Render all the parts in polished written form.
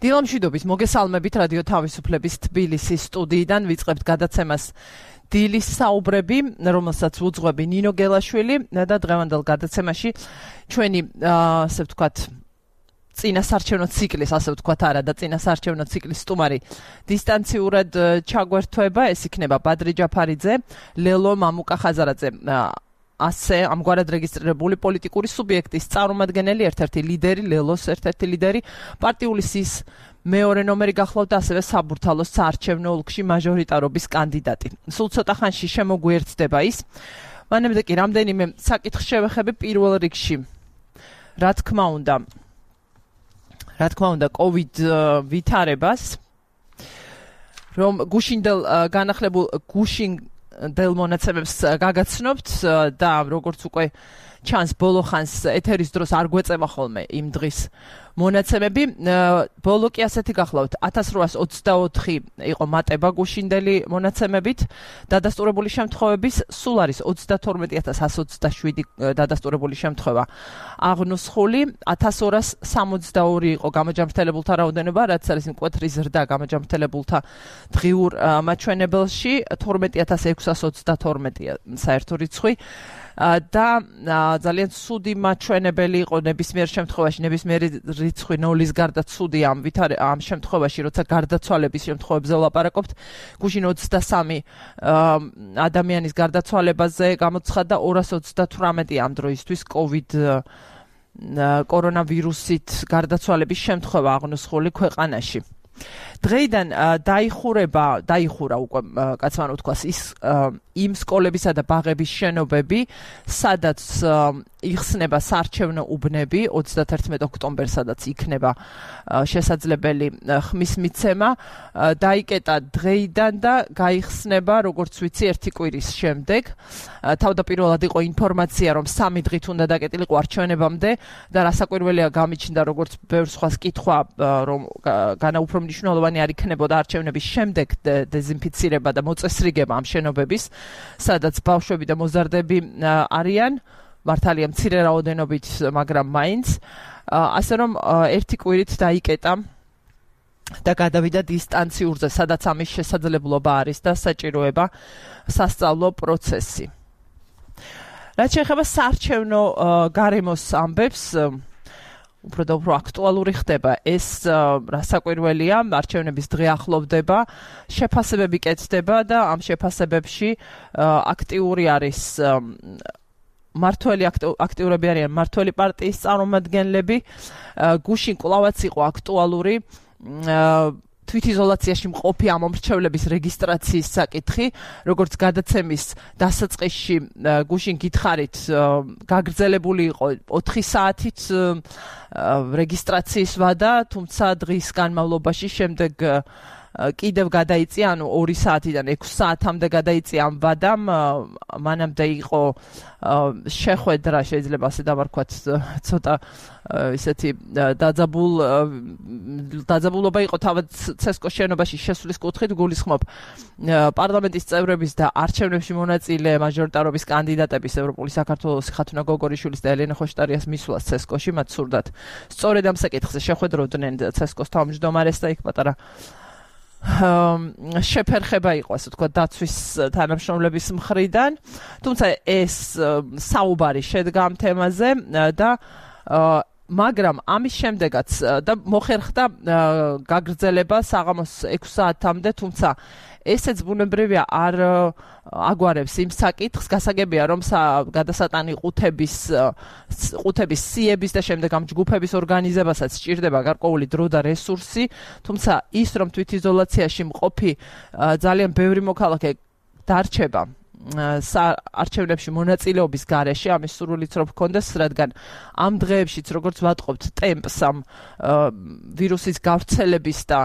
დილამშვიდობის მოგესალმებით რადიო თავისუფლების თბილისის სტუდიიდან ვიწყებთ გადაცემას დილის საუბრები, რომელსაც უძღვები ნინო გელაშვილი და დღევანდელ გადაცემაში ჩვენი ასე ვთქვათ წინასარჩევნო ციკლის, ასე ვთქვათ არა და წინასარჩევნო ციკლის სტუმარი დისტანციურად ჩაგვერთვება, ეს იქნება ბადრი ჯაფარიძე, ლელო მამუკა ხაზარაძე. ასე ამგვარად რეგისტრირებული პოლიტიკური სუბიექტის წარმომადგენელი, ერთ-ერთი ლიდერი, ლელოს ერთ-ერთი ლიდერი, პარტიული სის მეორე ნომერი გახლავთ და ასევე საბურთალოს საარჩევნო ოლქში მაჟორიტარობის კანდიდატი. სულ ცოტა ხანში შემოგვიერთდება ის. მანამდე კი რამდენიმე საკითხს შევეხები პირველ რიგში. რა თქმა უნდა, COVID ვითარებას, რომ გუშინდელ განახლებულ დელ მონაცემებს გაგაცნობთ და როგორც უკვე ჩანს ბოლო ხანს ეთერის დროს არ გვეწევა ხოლმე იმ დღის მონაცემები. ბოლო კი ასეთი გახლავთ 1824 იყო მატება გუშინდელი მონაცემებით, დადასტურებული შემთხვევების სულ არის 32127 დადასტურებული შემთხვევა აღნუსხული, 1262 იყო გამოჯამრთელებულთა რაოდენობა, რაც არის მკვეთრი ზრდა გამოჯამრთელებულთა დღიურ მაჩვენებელში, 12632 საერთო რიცხვი. და ძალიან ცუდი მაჩვენებელი იყო ნებისმიერ შემთხვევაში, ნებისმიერი რიცხვი ნოლის გარდა ცუდი ამ შემთხვევაში, როცა გარდაცვალების შემთხვევებზე ვლაპარაკობთ. გუშინ 23 ადამიანის გარდაცვალებაზე გამოცხადდა 238 ამ დროისთვის COVID კორონავირუსით გარდაცვალების შემთხვევა აღნუსხული ქვეყანაში. დღეიდან დაიხურა უკვე კაცმან უთქვას იმ სკოლებისა და ბაღების შენობები, სადაც იხსნება საარჩევნო უბნები 31 ოქტომბერს, სადაც იქნება შესაძლებელი ხმის მიცემა, დაიკეტა დღეიდან და გაიხსნება, როგორც ვიცი, ერთი კვირის შემდეგ. თავდაპირველად იყო ინფორმაცია, რომ 3 დღით უნდა დაკეტილიყო არჩევნებამდე და რასაკვირველია გამიჩნდა, როგორც ბევრ სხვას კითხვა, რომ განაუფრო მნიშვნელოვანი არ იქნებოდა არჩევნების შემდეგ დეზინფიცირება და მოწესრიგება ამ შენობების, სადაც ბავშვები და მოზარდები არიან, მართალია მცირე რაოდენობით, მაგრამ მაინც. ასე რომ ერთი კვირით დაიკეტა და გადავიდა დისტანციურზე, სადაც ამის შესაძლებლობა არის და საჭიროება სასწავლო პროცესი. რაც შეეხება საარჩევნო გარემოს ამბებს, უფრო და უფრო აქტუალური ხდება ეს, რასაკვირველია, არჩევნების დღე ახლოვდება, შეფასებები კეთდება და ამ შეფასებებში აქტიური არის აქტიურები არიან მმართველი პარტიის წარმომადგენლები. გუშინ კვლავაც იყო აქტუალური თვითიზოლაციაში მყოფი ამ მომრჩევლების რეგისტრაციის საკითხი, როგორც გადაცემის დასაწყისში გუშინ გითხარით, გაგრძელებული იყო 4 საათით რეგისტრაციის ვადა, თუმცა დღის განმავლობაში შემდეგ კიდევ გადაიწია, ანუ 2 საათიდან 6 საათამდე გადაიწია ამ ვადამ. მანამდე იყო შეხვედრა, შეიძლება ასე დავარქვათ, ცოტა ისეთი დაძაბულობა იყო თავად ცესკოს შენობაში შესვლის კუთხით. გულისხმობ პარლამენტის წევრების და არჩევნებში მონაწილე მაჟორიტარობის კანდიდატების, ევროპული საქართველოს ხათუნა გოგორიშვილის და ელენე ხოშტარიას მისვლას ცესკოში, მათ სურდათ სწორედ ამ საკითხზე შეხვედროდნენ ცესკოს თავმჯდომარეს და იქ პატარა შეფერხება იყო, ასე ვთქვათ, დაცვის თანამშრომლების მხრიდან. თუმცა ეს საუბარი შედგა ამ თემაზე და მაგრამ ამის შემდეგაც და მოხერხდა გაგრძელება საღამოს 6 საათამდე, თუმცა ესეც ბუნებრივია არ აგვარებს იმ საკითხს. გასაგებია, რომ გადასატანი ყუთების სიების და შემდეგ ამ ჯგუფების ორგანიზებასაც სჭირდება გარკვეული დრო და რესურსი, თუმცა ის, რომ თვითიზოლაციაში მყოფი ძალიან ბევრი მოქალაქე დარჩება არჩევნებში მონაწილეობის გარეშე, ამის სურვილიც რომ ჰქონდეს, რადგან ამ დღეებშიც, როგორც ვატყობთ, ტემპს ამ ვირუსის გავრცელების და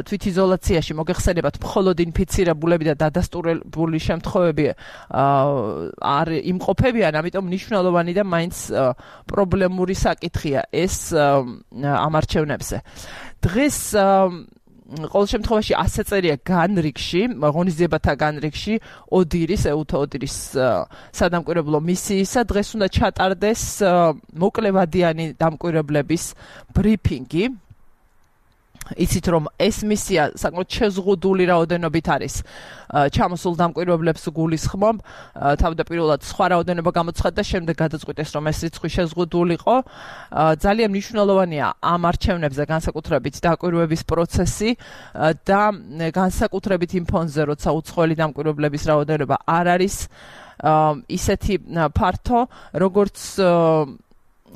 თვითიზოლაციაში მოგეხსენებათ მხოლოდ ინფიცირებულები და დადასტურებული შემთხვევები არ იმყოფებიან, ამიტომ მნიშვნელოვანი და მაინც პრობლემური საკითხია ეს ამ არჩევნებზე. დღეს ყოველ შემთხვევაში ასე წერია განრიგში, ღონისძიებათა განრიგში, ეუთო ოდირის სადამკვირვებლო მისიისა, დღეს უნდა ჩატარდეს მოკლევადიანი დამკვირვებლების ბრიფინგი. იცით რომ ეს მისია საკმაოდ შეზღუდული რაოდენობით არის ჩამოსულ დამკვირვებლებს გულისხმობ თავდაპირველად სხვა რაოდენობა გამოცხადდა შემდეგ გადაწყვიტეს რომ ეს რიცხვი შეზღუდულიყო ძალიან მნიშვნელოვანია ამ არჩევნებზე განსაკუთრებით დაკვირვების პროცესი და განსაკუთრებით იმ ფონზე როცა უცხოელი დამკვირვებლების რაოდენობა არ არის ისეთი ფართო როგორც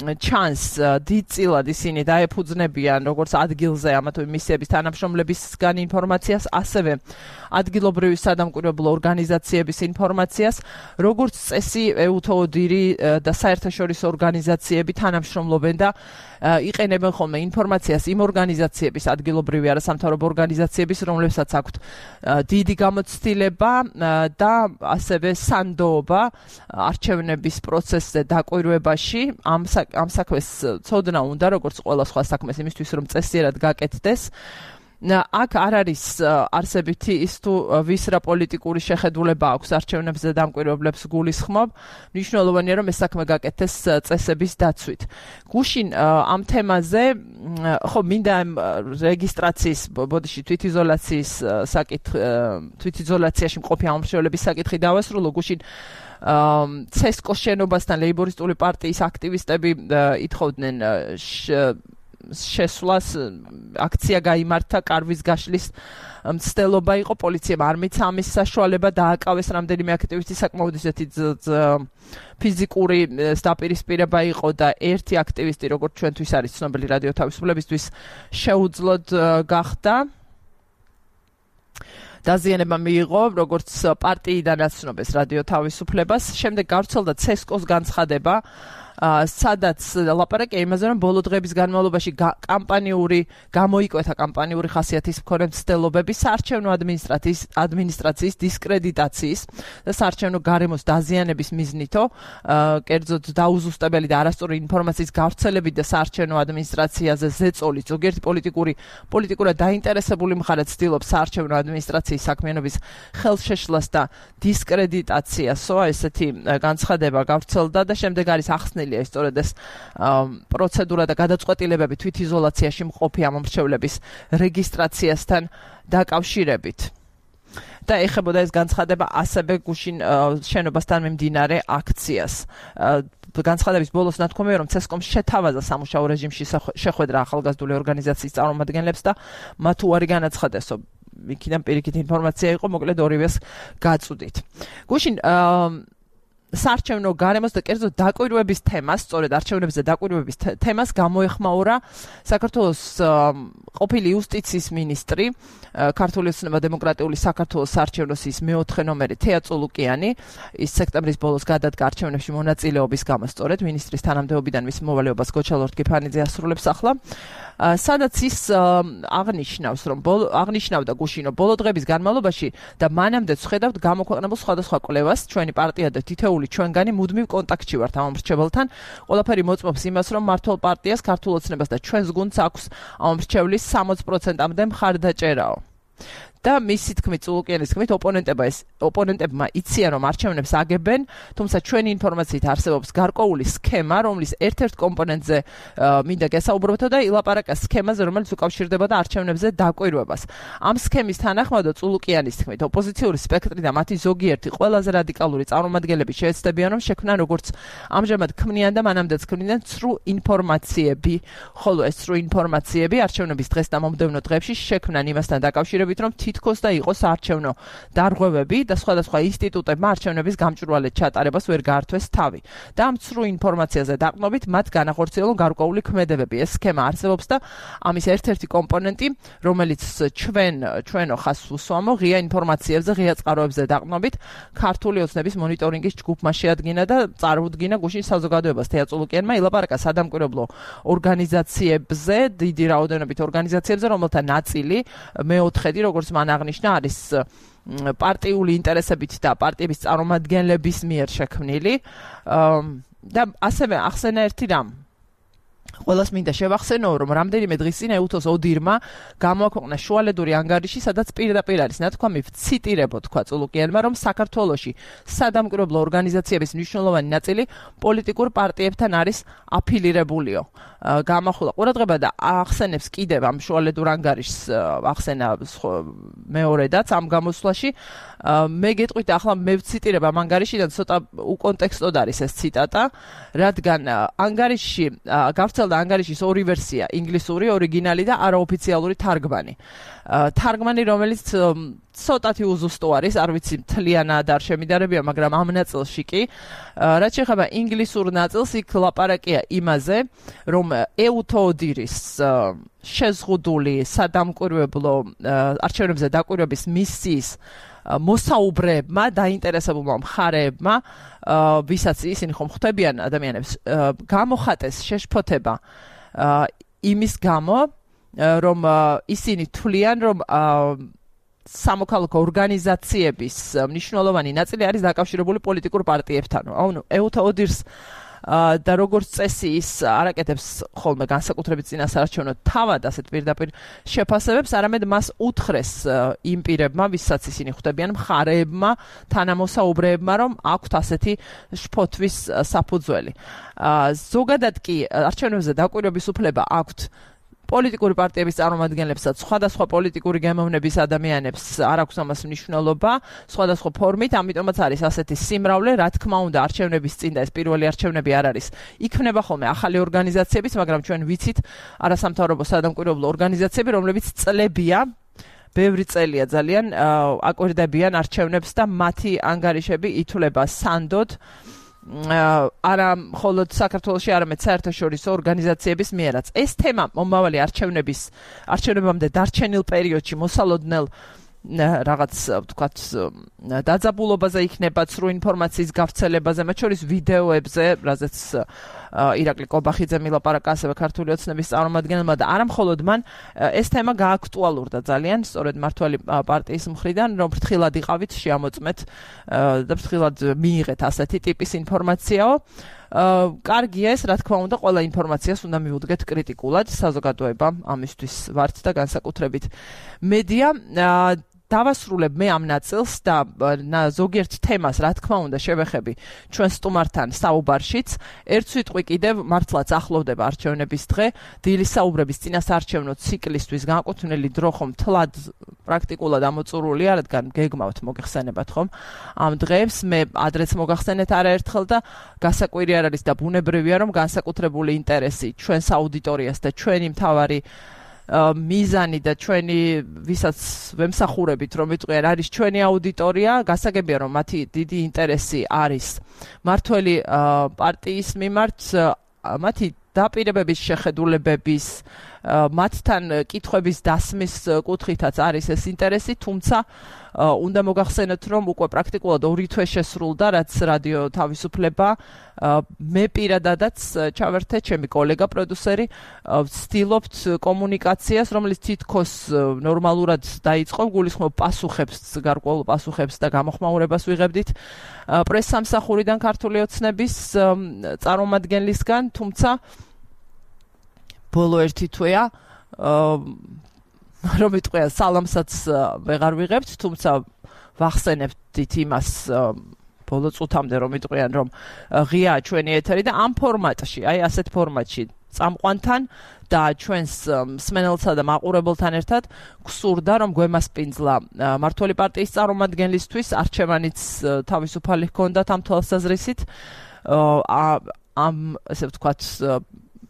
ჩანს დიდწილად ისინი დაეფუძნებიან როგორც ადგილზე ამა თუ იმ მისიების თანამშრომლებისგან ინფორმაციას, ასევე ადგილობრივი სადამკვირვებლო ორგანიზაციების ინფორმაციას, როგორც წესი EUTODIR და საერთაშორისო ორგანიზაციები თანამშრომლობენ და იყენებენ ხოლმე ინფორმაციას იმ ორგანიზაციების, ადგილობრივი არასამთავრობო ორგანიზაციების, რომლებსაც აქვთ დიდი გამოცდილება და ასევე სანდოობა არჩევნების პროცესზე დაკვირვებაში ამ საქმეს ცოდნა უნდა როგორც ყველა სხვა საქმეს იმისთვის რომ წესიერად გაკეთდეს აქ არ არის არსებითი ის თუ ვის რა პოლიტიკური შეხედულება აქვს არჩევნებზე დამკვირვებლებს გულისხმობ მნიშვნელოვანია რომ ეს საქმე გაკეთდეს წესების დაცვით გუშინ ამ თემაზე ხო მინდა რეგისტრაციის ბოდიში თვითიზოლაციის თვითიზოლაციაში მყოფი ამომრჩევლების საკითხი დავასრულო გუშინ CESCO შენობასთან ლეიბორისტული პარტიის აქტივისტები ითხოვდნენ შესვლას აქცია გაიმართა კარვის გაშლის მცდელობა იყო პოლიციამ არ მიცა ამის საშუალება დააკავეს რამდენიმე აქტივისტი საკმაოდ ისეთი ფიზიკური დაპირისპირება იყო და ერთი აქტივისტი როგორც ჩვენთვის არის ცნობილი რადიო თავისუფლებისთვის შეუძლოდ გახდა დაზიანება მიიღო როგორც პარტიიდან აცნობეს რადიო თავისუფლებას შემდეგ გავრცელდა CESCO-ს განცხადება სადაც ლაპარაკია იმაზე რომ ბოლო დღეების განმავლობაში გამოიკვეთა კამპანიური ხასიათის მქონე მცდელობები საარჩევნო ადმინისტრაციის დისკრედიტაციის და საარჩევნო გარემოს დაზიანების მიზნითო კერძოდ დაუზუსტებელი და არასწორი ინფორმაციის გავრცელებით და საარჩევნო ადმინისტრაციაზე ზეწოლით ზოგიერთი პოლიტიკურად დაინტერესებული მხარე ცდილობს საარჩევნო ადმინისტრაციის საქმიანობის ხელშეშლას და დისკრედიტაციასო ესეთი განცხადება გავრცელდა და შემდეგ არის ახსნილი სწორედ ეს პროცედურა და გადაწყვეტილებები თვითიზოლაციაში მყოფი ამომრჩევლების რეგისტრაციასთან დაკავშირებით. და ეხებოდა ეს განცხადება ასევე გუშინ შენობასთან მიმდინარე აქციას. განცხადების ბოლოს ნათქვამია რომ CESCO-მ შეთავაზა სამუშაო რეჟიმში შეხვედრა ახალგაზრდული ორგანიზაციის წარმომადგენლებს და მათ უარი განაცხადესო. იქიდან პირიქით ინფორმაცია იყო, მოკლედ ორივეს გაწუდით. გუშინ საარჩევნო გარემოს და კერძოდ დაკვირვების თემას, სწორედ არჩევნებზე დაკვირვების თემას გამოეხმაურა საქართველოს ყოფილი იუსტიციის მინისტრი, ქართული ოცნება დემოკრატიული საქართველოს საარჩევნო სიის მეოთხე ნომერი თეა წულუკიანი, ის სექტემბრის ბოლოს გადადგა არჩევნებში მონაწილეობის გამო, სწორედ მინისტრის თანამდებობიდან მის მოვალეობას გოჩა ლორთქიფანიძე ასრულებს ახლა. სადაც ის აღნიშნავს რომ აღნიშნავდა გუშინო ბოლო დღეების განმავლობაში და მანამდე ვხედავთ გამოქვეყნებულ სხვადასხვა კვლევას ჩვენი პარტია და თითოეული ჩვენგანი მუდმივ კონტაქტში ვართ ამომრჩეველთან ყველაფერი მოწმობს იმას რომ მართლ პარტიას ქართულ ოცნებას და ჩვენს გუნდს აქვს ამომრჩევლის 60%-მდე მხარდაჭერაო და მისი თქმით წულუკიანის თქმით ოპონენტებმა იციან რომ არჩევნებს აგებენ თუმცა ჩვენი ინფორმაციით არსებობს გარკვეული სქემა რომლის ერთ-ერთ კომპონენტზე მინდა გესაუბროთ და ილაპარაკა სქემაზე რომელიც უკავშირდებოდა არჩევნებზე დაკვირვებას ამ სქემის თანახმადაც წულუკიანის თქმით ოპოზიციური სპექტრი და მათი ზოგიერთი ყველაზე რადიკალური წარმომადგენლები შეეცდებიან რომ შექმნან როგორც ამჟამად ქმნიან და მანამდეც ქმნიან ცრუ ინფორმაციები ხოლო ეს ცრუ ინფორმაციები არჩევნების დღეს და მომდევნო დღეებში შექმნან იმასთან დაკავშირებით რომ თითქოს და იყოს არჩევნო დარღვევები და სხვადასხვა ინსტიტუტებმა არჩევნების გამჭვირვალედ ჩატარებას ვერ გაართვეს თავი. და ამ ცრუ ინფორმაციაზე დაყრდნობით მათ განახორციელონ გარკვეული ქმედებები. ეს სქემა არსებობს და ამის ერთ-ერთი კომპონენტი, რომელიც ჩვენო ხაზს უსვამო, ღია ინფორმაციებზე, ღია წყაროებზე დაყრდნობით ქართული ოცნების მონიტორინგის ჯგუფმა შეადგინა და წარუდგინა გუშინ საზოგადოებას თეა წულუკიანმა ილაპარაკა სადამკვირვებლო ორგანიზაციებზე, დიდი რაოდენობით ორგანიზაციებზე, რომელთა ნაწილი მეოთხედი როგორც მან აღნიშნა არის პარტიული ინტერესებით და პარტიების წარმომადგენლების მიერ შექმნილი და ასევე ახსენა ერთი რამ ყველას მინდა შევახსენო, რომ რამდენიმე დღის წინ ეუთოს ოდირმა გამოაქვეყნა შუალედური ანგარიში, სადაც პირდაპირ არის ნათქვამი ვციტირებო თქვა წულუკიანმა, რომ საქართველოში სადამკვირვებლო ორგანიზაციების მნიშვნელოვანი ნაწილი პოლიტიკურ პარტიებთან არის აფილირებულიო. გამახვილა ყურადღება და ახსენებს კიდევ ამ შუალედურ ანგარიშს ახსენა მეორედაც ამ გამოსვლაში. მე გეტყვით ახლა მე ვციტირებ ამ ანგარიშიდან ცოტა უკონტექსტოდ არის ეს ციტატა, რადგან ანგარიში გავრცელდა ანგარიშის ორი ვერსია, ინგლისური ორიგინალი და არაოფიციალური თარგმანი. თარგმანი, რომელიც ცოტათი უზუსტო არის, არ ვიცი მთლიანად არ შემიდარებია, მაგრამ ამ ნაწილში კი, რაც შეეხება ინგლისურ ნაწილს, იქ ლაპარაკია იმაზე, რომ ეუთო ოდირის შეზღუდული სადამკვირვებლო არჩევნებზე დაკვირვების მისიის მოსაუბრეებმა, დაინტერესებულმა მხარეებმა, ვისაც ისინი ხომ ხვდებიან ადამიანებს, გამოხატეს შეშფოთება იმის გამო, რომ ისინი თვლიან, რომ სამოქალაქო ორგანიზაციების მნიშვნელოვანი ნაწილი არის დაკავშირებული პოლიტიკურ პარტიებთან. ანუ ეუთო ოდირს და როგორც წესი ის არაკეთებს ხოლმე განსაკუთრებით წინასაარჩევნო თავად ასეთ პირდაპირ შეფასებებს, არამედ მას უთხრეს იმ პირებმა, ვისაც ისინი ხვდებიან, მხარეებმა, თანამოსაუბრეებმა, რომ აქვთ ასეთი შფოთვის საფუძველი. ზოგადად კი არჩევნებზე დაკვირვების უფლება აქვთ პოლიტიკური პარტიების წარმომადგენლებსაც, სხვადასხვა პოლიტიკური გემოვნების ადამიანებს არ აქვს ამას მნიშვნელობა, სხვადასხვა ფორმით, ამიტომაც არის ასეთი სიმრავლე, რა თქმა უნდა, არჩევნების წინ და ეს პირველი არჩევნები არ არის. იქნება ხოლმე ახალი ორგანიზაციებიც, მაგრამ ჩვენ ვიცით არასამთავრობო სადამკვირვებლო ორგანიზაციები, რომლებიც წლებია, ბევრი წელია ძალიან აკვირდებიან არჩევნებს და მათი ანგარიშები ითვლება სანდოდ არა მხოლოდ საქართველოში, არამედ საერთაშორისო ორგანიზაციების მიერაც. ეს თემა მომავალი არჩევნებამდე დარჩენილ პერიოდში მოსალოდნელ რაღაც ვთქვათ დაძაბულობაზე იქნება, ცრუ ინფორმაციის გავრცელებაზე, მათ შორის ვიდეოებზე, რაზეც ირაკლი კობახიძე მილაპარაკა ასევე ქართული ოცნების წარმომადგენელმა და არა მხოლოდ მან, ეს თემა გააქტუალურდა ძალიან, სწორედ მართველი პარტიის მხრიდან, რომ ფრთხილად იყავით, შეამოწმეთ და ფრთხილად მიიღეთ ასეთი ტიპის ინფორმაციაო. კარგია ეს, რა თქმა უნდა, ყველა ინფორმაციას უნდა მივუდგეთ კრიტიკულად, საზოგადოება ამისთვის ვართ და განსაკუთრებით მედია. დავასრულებ მე ამ ნაწილს და ზოგიერთ თემას, რა თქმა უნდა, შევეხები ჩვენ სტუმართან საუბარშიც. ერთ სიტყვი კიდევ მართლაც ახლოვდება არჩევნების დღე, დილის საუბრების წინასაარჩევნო ციკლისთვის განკუთვნილი დრო ხომ თლად პრაქტიკულად ამოწურულია, რადგან გეგმავთ მოგეხსენებათ ხომ ამ დღეებს, მე ადრეც მოგახსენეთ არაერთხელ და გასაკვირი არ არის და ბუნებრივია, რომ განსაკუთრებული ინტერესი ჩვენს აუდიტორიას და ჩვენი მთავარი მიზანი და ჩვენი ვისაც ვემსახურებით, რომ ვიტყვიან, არის ჩვენი აუდიტორია, გასაგებია, რომ მათი დიდი ინტერესი არის მართველი პარტიის მიმართ, მათი დაპირებების შეხედულებების, მათთან კითხვების დასმის კუთხითაც არის ეს ინტერესი, თუმცა უნდა მოგახსენოთ, რომ უკვე პრაქტიკულად 2 თვე შესრულდა, რაც რადიო თავისუფლება, მე პირადადაც ჩავერთე, ჩემი კოლეგა პროდიუსერი, ვცდილობთ კომუნიკაციას, რომელიც თითქოს ნორმალურად დაიწყო, გულისხმობ პასუხებს, გარკვეულ პასუხებს და გამოხმაურებას ვიღებდით პრესსამსახურიდან ქართული ოცნების წარმომადგენლისგან, თუმცა ბოლო 1 თვეა რომ ვიტყვია სალამსაც ვეღარ ვიღებთ, თუმცა ვახსენებთ იმას ბოლო წუთამდე, რომ ვიტყვიან, რომ ღია ჩვენი ეთერი და ამ ფორმატში, აი ასეთ ფორმატში წამყვანთან და ჩვენს მსმენელსა და მაყურებელთან ერთად გსურდა, რომ გვემასპინძლა მართველი პარტიის წარმომადგენლისთვის არჩევანიც თავისუფალი ჰქონდათ ამ თვალსაზრისით, ამ ესე ვთქვათ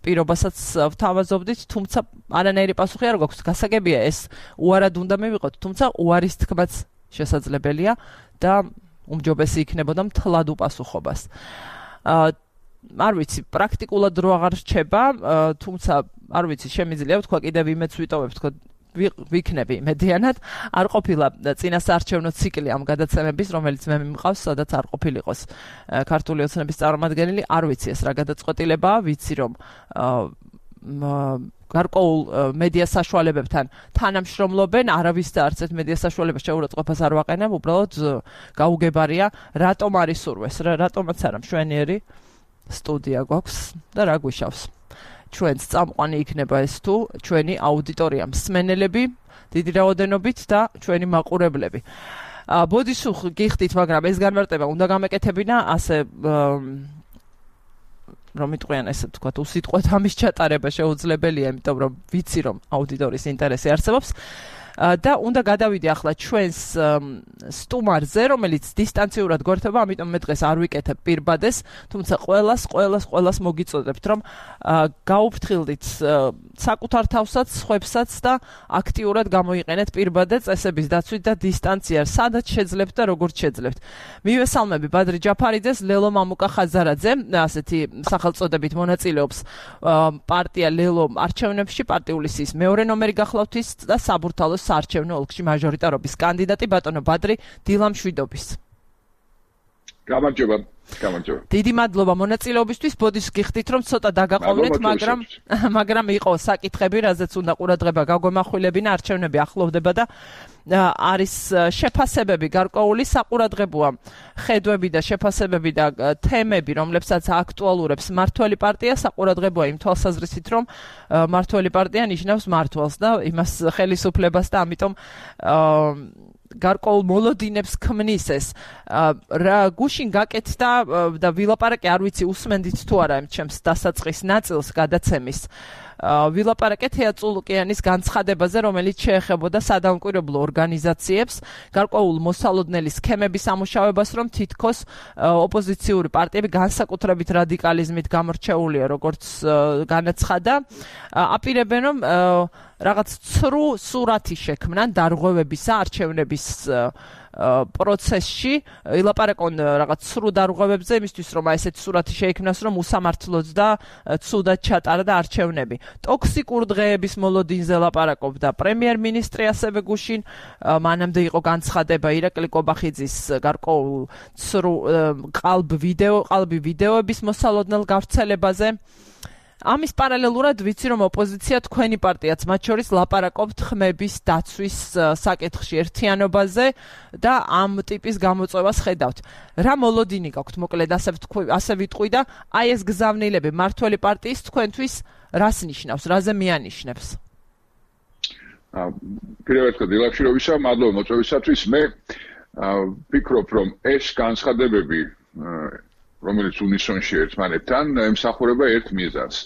პირობასაც ვთავაზობდით, თუმცა არანაირი პასუხი არ გვაქვს. გასაგებია ეს უარად უნდა მივიღოთ, თუმცა უარის თქმაც შესაძლებელია და უმჯობესი იქნებოდა მთლად უპასუხობას. არ ვიცი, პრაქტიკულად რო აღარ რჩება, თუმცა არ ვიცი, შემიძლია ვთქვა კიდევ იმედს ვიტოვებ, თქო ვიქნები მედიანად, არ ყოფილა წინასაარჩევნო ციკლი ამ გადაცემების, რომელიც მე მიმყავს, სადაც არ ყოფილიყოს ქართული ოცნების წარმომადგენელი, არ ვიცი ეს რა გადაწყვეტილებაა, ვიცი რომ გარკვეულ მედია საშუალებებთან თანამშრომლობენ, არავის და არც ერთ მედია საშუალებას შეურაცხყოფას არ ვაყენებ, უბრალოდ გაუგებარია, რატომ არის სურვეს, რატომაც არა მშვენიერი სტუდია გვაქვს და რა გვიშავს. ჩვენს წამყვანი იქნება ეს თუ ჩვენი აუდიტორია მსმენელები დიდი რაოდენობით და ჩვენი მაყურებლები. ბოდისუხ გიხდით, მაგრამ ეს განმარტება უნდა გამეკეთებინა ასე რომ იტყვიან ესე ვთქვათ, უსიტყვოდ ამის ჩატარება შეუძლებელია, იმიტომ რომ ვიცი რომ აუდიტორიის ინტერესი არსებობს. და უნდა გადავიდე ახლა ჩვენს სტუმარზე, რომელიც დისტანციურად გვერდება, ამიტომ მე დღეს არ ვიკეთებ პირბადეს, თუმცა ყველას მოგიწოდებთ, რომ გაუფრთხილდით საკუთარ თავსაც, სხვებსაც და აქტიურად გამოიყენეთ პირბადე წესების დაცვით და დისტანცია, სადაც შეძლებთ და როგორც შეძლებთ. მივესალმები ბადრი ჯაფარიძეს, ლელო მამუკა ხაზარაძე, ასეთი სახელწოდებით მონაწილეობს პარტია ლელო არჩევნებში, პარტიული სიის მეორე ნომერი გახლავთ ის და საბურთალოს საარჩევნო ოლქში მაჟორიტარობის კანდიდატი ბატონო ბადრი დილამშვიდობის. გამარჯობა. დიდი მადლობა მონაწილეობისთვის. ბოდის გიხდით რომ ცოტა დაგაყოვნეთ, მაგრამ იყო საკითხები, რაზეც უნდა ყურადღება გაგვემახვილებინა, არჩევნები ახლოვდება და არის შეფასებები გარკვეული საყურადღებოა ხედვები და შეფასებები და თემები, რომლებსაც აქტუალურებს მმართველი პარტია, საყურადღებოა იმ თვალსაზრისით, რომ მმართველი პარტია ნიშნავს მმართველს და იმას ხელისუფლებას და ამიტომ გარკვეულ მოლოდინებს ქმნის ეს. რა გუშინ გაკეთდა და ვილაპარაკე, არ ვიცი უსმენდით თუ არა იმ ჩემს დასაწყის ნაწილს გადაცემის. ვილაპარაკე თეატრულუკიანის განცხადებაზე, რომელიც შეეხებოდა სადამკვირვებლო ორგანიზაციებს, გარკვეულ მოსალოდნელი სქემების ამუშავებას, რომ თითქოს ოპოზიციური პარტიები განსაკუთრებით რადიკალიზმით გამორჩეულია, როგორც განაცხადა, აპირებენ რომ რაღაც ცრუ სურათი შექმნან დარღვევებისა, არჩევნების პროცესში, ილაპარაკონ რაღაც სრულ დარღვევებზე, იმისთვის რომ ესეთი სურათი შეიქმნას, რომ უსამართლოდ და ცუდად ჩატარა და არჩევნები. ტოქსიკურ დღეების მოლოდინზე ლაპარაკობდა პრემიერ-მინისტრი ასევე გუშინ, მანამდე იყო განცხადება ირაკლი კობახიძის გარკვეულ ცრუ ყალბი ვიდეოების მოსალოდნელ გავრცელებაზე. ამის პარალელურად ვიცი რომ ოპოზიცია თქვენი პარტიაც მათ შორის ლაპარაკობთ ხმების დაცვის საკითხში ერთიანობაზე და ამ ტიპის გამოწვევას ხედავთ. რა მოლოდინი გაქვთ, მოკლედ ასე ვიტყვი და აი ეს გზავნილები მმართველი პარტიის თქვენთვის რას ნიშნავს, რაზე მიანიშნებს? პირველ რიგში დილამშვიდობისა, მადლობა მოწვევისათვის. მე ვფიქრობ რომ ეს განცხადებები რომელიც უნიშნონში ერთმანეთთან ემსახურება ერთ მიზანს.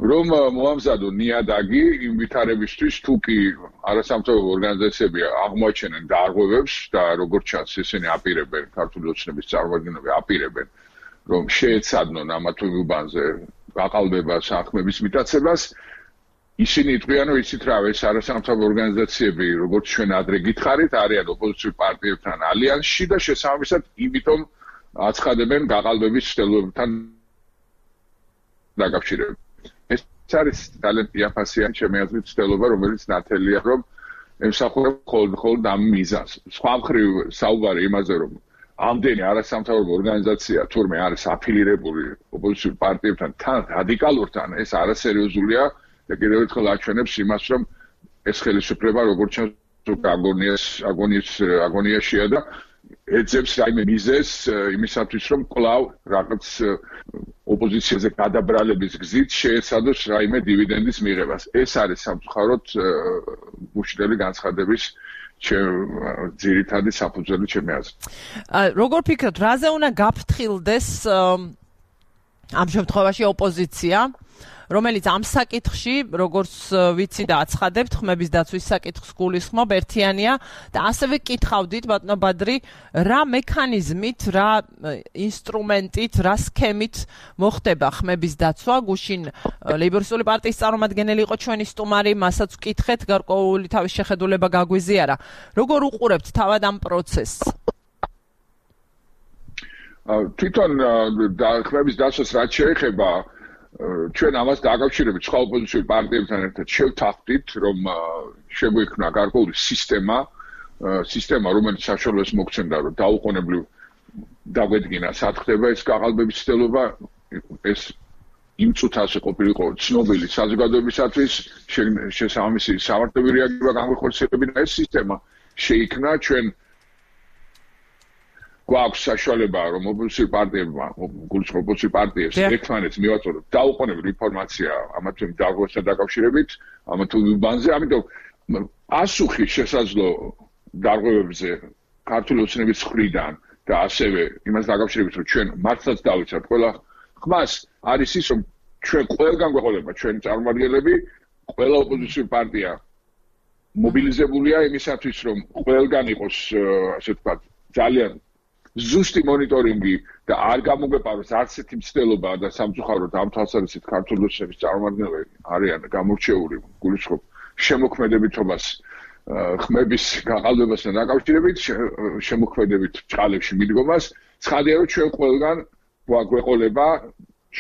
რომ მოამზადონ ნიადაგი იმ ვითარებისთვის, თუ კი არასამთავრობო ორგანიზაციები აღმოაჩენენ დარღვევებს და როგორც ჩანს, ისინი აპირებენ, ქართული ოცნების წარმომადგენლები აპირებენ, რომ შეეცადნონ ამა თუ იმ უბანზე გაყალბებას, ახმების მიტაცებას, ისინი იტყვიან, რომ იცით რა, ეს არასამთავრობო ორგანიზაციები, როგორც ჩვენ ადრე გითხარით, არიან ოპოზიციურ პარტიებთან ალიანსში და შესაბამისად, იმიტომ აცხადებენ გაყალბების ცდილობებთან დაკავშირებით. ეს არის ძალიან იაფასიანი ჩემი აზრით ცდილობა, რომელიც ნათელია, რომ ემსახურება მხოლოდ ამ მიზანს. სხვა მხრივ საუბარი იმაზე, რომ ამდენი არასამთავრობო ორგანიზაცია თურმე არის აფილირებული ოპოზიციურ პარტიებთან, თან რადიკალურთან, ეს არასერიოზულია და კიდევ ერთხელ აჩვენებს იმას, რომ ეს ხელისუფლება როგორც ჩანს აგონიაშია და ეძებს რაიმე მიზეზს იმისათვის, რომ კვლავ რაღაც ოპოზიციაზე გადაბრალების გზით შეეცადოს რაიმე დივიდენდის მიღებას. ეს არის სამწუხაროდ გუშინდელი განცხადების ძირითადი საფუძველი ჩემი აზრით. როგორ ფიქრობთ, რაზე უნდა გაფრთხილდეს ამ შემთხვევაში ოპოზიცია? რომელიც ამ საკითხში, როგორც ვიცი და აცხადებთ, ხმების დაცვის საკითხს გულისხმობ, ერთიანია და ასევე კითხავდით, ბატონო ბადრი, რა მექანიზმით, რა ინსტრუმენტით, რა სქემით მოხდება ხმების დაცვა? გუშინ ლეიბორისტული პარტიის წარმომადგენელი იყო ჩვენი სტუმარი, მასაც ვკითხეთ, გარკვეული თავის შეხედულება გაგვიზიარა. როგორ უყურებთ თავად ამ პროცესს? თვითონ ხმების დაცვას რაც შეეხება ჩვენ ამას დაკავშირებით სხვა ოპოზიციურ პარტიებთან ერთად შევთანხმდით, რომ შეგვექმნა გარკვეული სისტემა, რომელიც საშუალებას მოგცემდა, რომ დაუყოვნებლივ დაგვედგინა, სად ხდება ეს გაყალბების ცდილობა, ეს იმ წუთას ყოფილიყო ცნობილი საზოგადოებისათვის, შესაბამისი სამართლებრივი რეაგირება გამოხორციელებინა ეს სისტემა შეიქმნა ჩვენ გვაქვს საშუალება რომ ოპოზიციური პარტიებმა, გულისხმობ ოპოზიციური პარტიებს ერთმანეთს მივაწოდოთ დაუყოვნებლივ ინფორმაცია ამა თუ იმ დარღვევასთან დაკავშირებით, ამა თუ იმ უბანზე, ამიტომ პასუხი შესაძლო დარღვევებზე ქართული ოცნების მხრიდან და ასევე იმას დაკავშირებით რომ ჩვენ მართლაც დავიცავთ ყველა ხმას არის ის რომ ჩვენ ყველგან გვეყოლება ჩვენი წარმომადგენლები, ყველა ოპოზიციური პარტია მობილიზებულია იმისათვის რომ ყველგან იყოს ასე ვთქვათ ძალიან ზუსტი მონიტორინგი და არ გამოგვეპაროს არც ერთი მცდელობა და სამწუხაროდ ამ თვალსაზრისით ქართული ოცნების წარმომადგენლები არიან გამორჩეული გულისხმობ შემოქმედებითობას ხმების გაყალბებასთან დაკავშირებით შემოქმედებით ჭალებში მიდგომას ცხადია რომ ჩვენ ყველგან გვეყოლება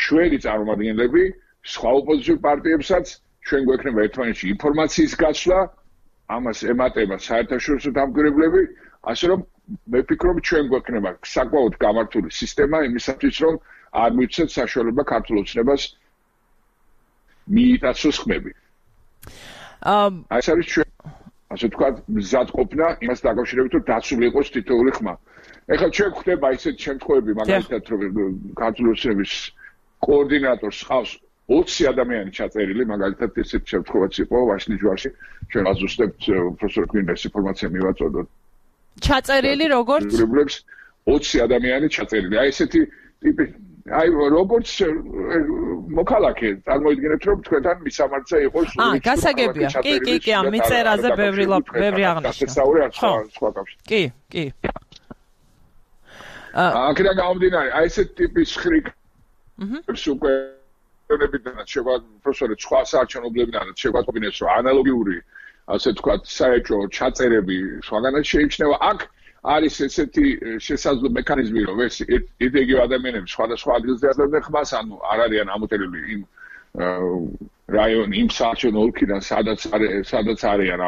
ჩვენი წარმომადგენლები სხვა ოპოზიციურ პარტიებსაც ჩვენ გვექნება ერთმანეთში ინფორმაციის გაცვლა ამას ემატება საერთაშორისო დამკვირვებლები ასე რომ მე ვფიქრობ ჩვენ გვექნება საკმაოდ გამართული სისტემა იმისათვის რომ არ მივცეთ საშუალება ქართულ ოცნებას მიიტაცოს ხმები ეს არის ჩვენ ასე ვთქვათ მზადყოფნა იმას დაკავშირებით რომ დაცული იყოს თითოეული ხმა ეხლა ჩვენ გვხდება ისეთი შემთხვევები მაგალითად რომ ქართული ოცნების კოორდინატორს ხავს 20 ადამიანი ჩაწერილი, მაგალითად ესეთ შემთხვევაც იყო ვაშლის ჯვარში, ჩვენ ვაზუსტებთ პროფესორ გვინეს ინფორმაცია მივაწოდოთ. ჩაწერილი როგორც? 20 ადამიანი ჩაწერილი. აი ესეთი ტიპი, აი როგორც მოქალაქე, წარმოიდგინეთ რომ თქვენთან მისამართზე იყოს გასაგებია. კი, ამ მიწერაზე ბევრი აღნიშნა. სხვა კავშირი. კი. აქედან გამომდინარე, აი ესეთი ტიპის ხრიკ უკვე ნებიდან შევა პროფესორი სხვა საარჩევნებლებიდან შეგვაწყვინეს რომ ანალოგიური ასე ვთქვათ საერთო ჩაწერები სხვაგანაც შეიმჩნევა აქ არის ესეთი შესაძლო მექანიზმი რომ ეს იდეგი ადამიანები სხვადასხვა ადგილზე აძლევდნენ ხმას ანუ არ არიან ამოწერილი იმ რაიონი იმ საარჩევნო ოლქიდან სადაც არიან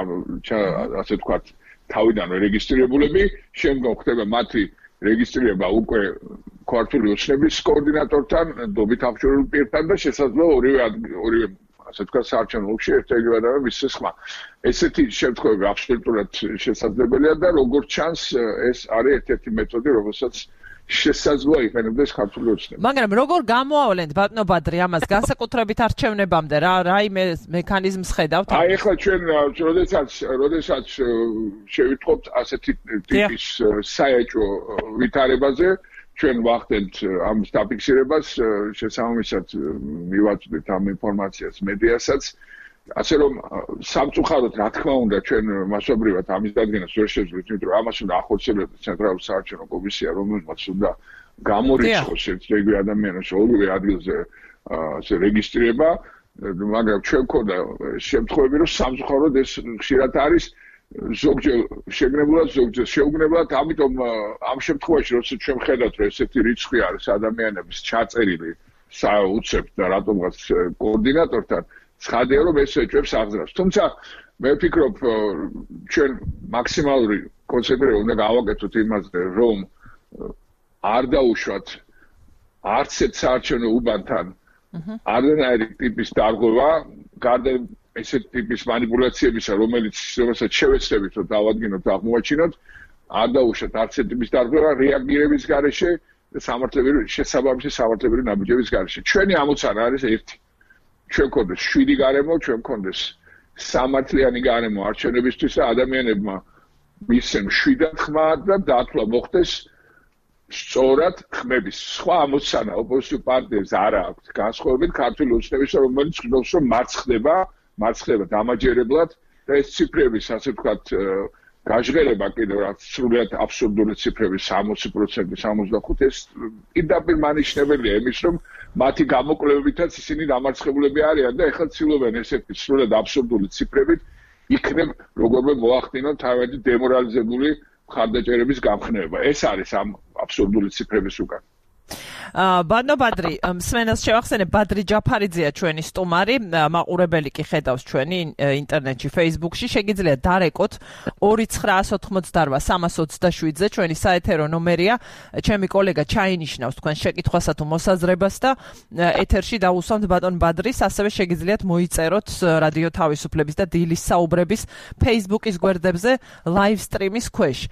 ასე ვთქვათ თავიდან რეგისტრირებულები შემდგომ ხდება მათი რეგისტრირება უკვე ქართული ოცნების კოორდინატორთან, დობით აღჭურვილ პირთან და შესაძლოა ორივე ასე ვთქვათ საარჩევნო ოლქში ერთ-ერთი ადამიანი მისცეს ხმა. ესეთი შემთხვევები აბსოლუტურად შესაძლებელია და როგორც ჩანს ეს არის ერთ-ერთი მეთოდი, რომელსაც შესაძლოა იყენებდეს ქართული ოცნება. მაგრამ როგორ გამოავლენთ ბატონო ბადრი ამას განსაკუთრებით არჩევნებამდე რა მექანიზმს ხედავთ? აი ახლა ჩვენ როდესაც შევიტყობთ ასეთი ტიპის საეჭვო ვითარებაზე ჩვენ ვახდენთ ამ დაფიქსირებას შესაბამისად მივაწვდით ამ ინფორმაციას მედიასაც ასე რომ სამწუხაროდ რა თქმა უნდა ჩვენ მასობრივად ამის დადგენას ვერ შევძლით იმიტომ რომ ამას უნდა ახორციელებდეს ცენტრალური საარჩევნო კომისია რომელმაც უნდა გამორიცხოს ერთ-ერთი ადამიანის ორივე ადგილზე ასე რეგისტრირება მაგრამ ჩვენ ქონდა შემთხვევები რომ სამწუხაროდ ეს ხშირად არის ზოგჯერ შეგნებულად ზოგჯერ შეუგნებლად ამიტომ ამ შემთხვევაში როცა ჩვენ ხედავთ რომ ესეთი რიცხვი არის ადამიანების ჩაწერილი საუცებთ და რატომღაც კოორდინატორთან ცხადია რომ ეს ეჭვებს აღძრავს თუმცა მე ვფიქრობ ჩვენ მაქსიმალური კონცენტრირება უნდა გავაკეთოთ იმაზე რომ არ დაუშვათ არც ერთ საარჩევნო უბანთან არანაირი ტიპის დარღვევა გარდა ესეთ ტიპის манипуляციებისა რომელსაც შევეცდებით რომ დავადგინოთ და აღმოაჩინოთ არ დაუშვათ არც ერთ ტიპის დარღვევა რეაგირების გარეშე და შესაბამისი სამართლებრივი ნაბიჯების გარეშე ჩვენი ამოცანა არის ერთი ჩვენ გქონდეს 7 გარემო, ჩვენ გქონდეს სამართლიანი გარემო არჩევნებისთვის და ადამიანებმა მისცენ 7 ხმა და დათვლა მოხდეს სწორად ხმების. სხვა ამოცანა ოპოზიციურ პარტიებს არ აქვს განსხვავებით ქართული ოცნების რომელიც ხდობს რომ მარცხდება დამაჯერებლად და ეს ციფრების ასე ვთქვათ გაჟღერება კიდევ რაც სრულიად აბსურდული ციფრები 60%, 65% ეს პირდაპირ მანიშნებელია იმის რომ მათი გამოკვლევებითაც ისინი დამარცხებულები არიან და ეხლა ცდილობენ ესეთი სრულიად აბსურდული ციფრებით იქნებ როგორმე მოახდინონ თავადი დემორალიზებული მხარდაჭერების გამხნევება. ეს არის ამ აბსურდული ციფრების უკან. ბატონო ბადრი, მსმენელს შევახსენებ, ბადრი ჯაფარიძეა ჩვენი სტუმარი, მაყურებელი კი ხედავს ჩვენი ინტერნეტში, Facebook-ში, შეგიძლიათ დარეკოთ 2988-327-ზე, ჩვენი საეთერო ნომერია, ჩემი კოლეგა ჩაინიშნავს თქვენ შეკითხვასა თუ მოსაზრებას და ეთერში დაუსვამთ ბატონ ბადრის, ასევე შეგიძლიათ მოიწეროთ რადიო თავისუფლების და დილის საუბრების Facebook-ის გვერდებზე live stream-ის ქვეშ.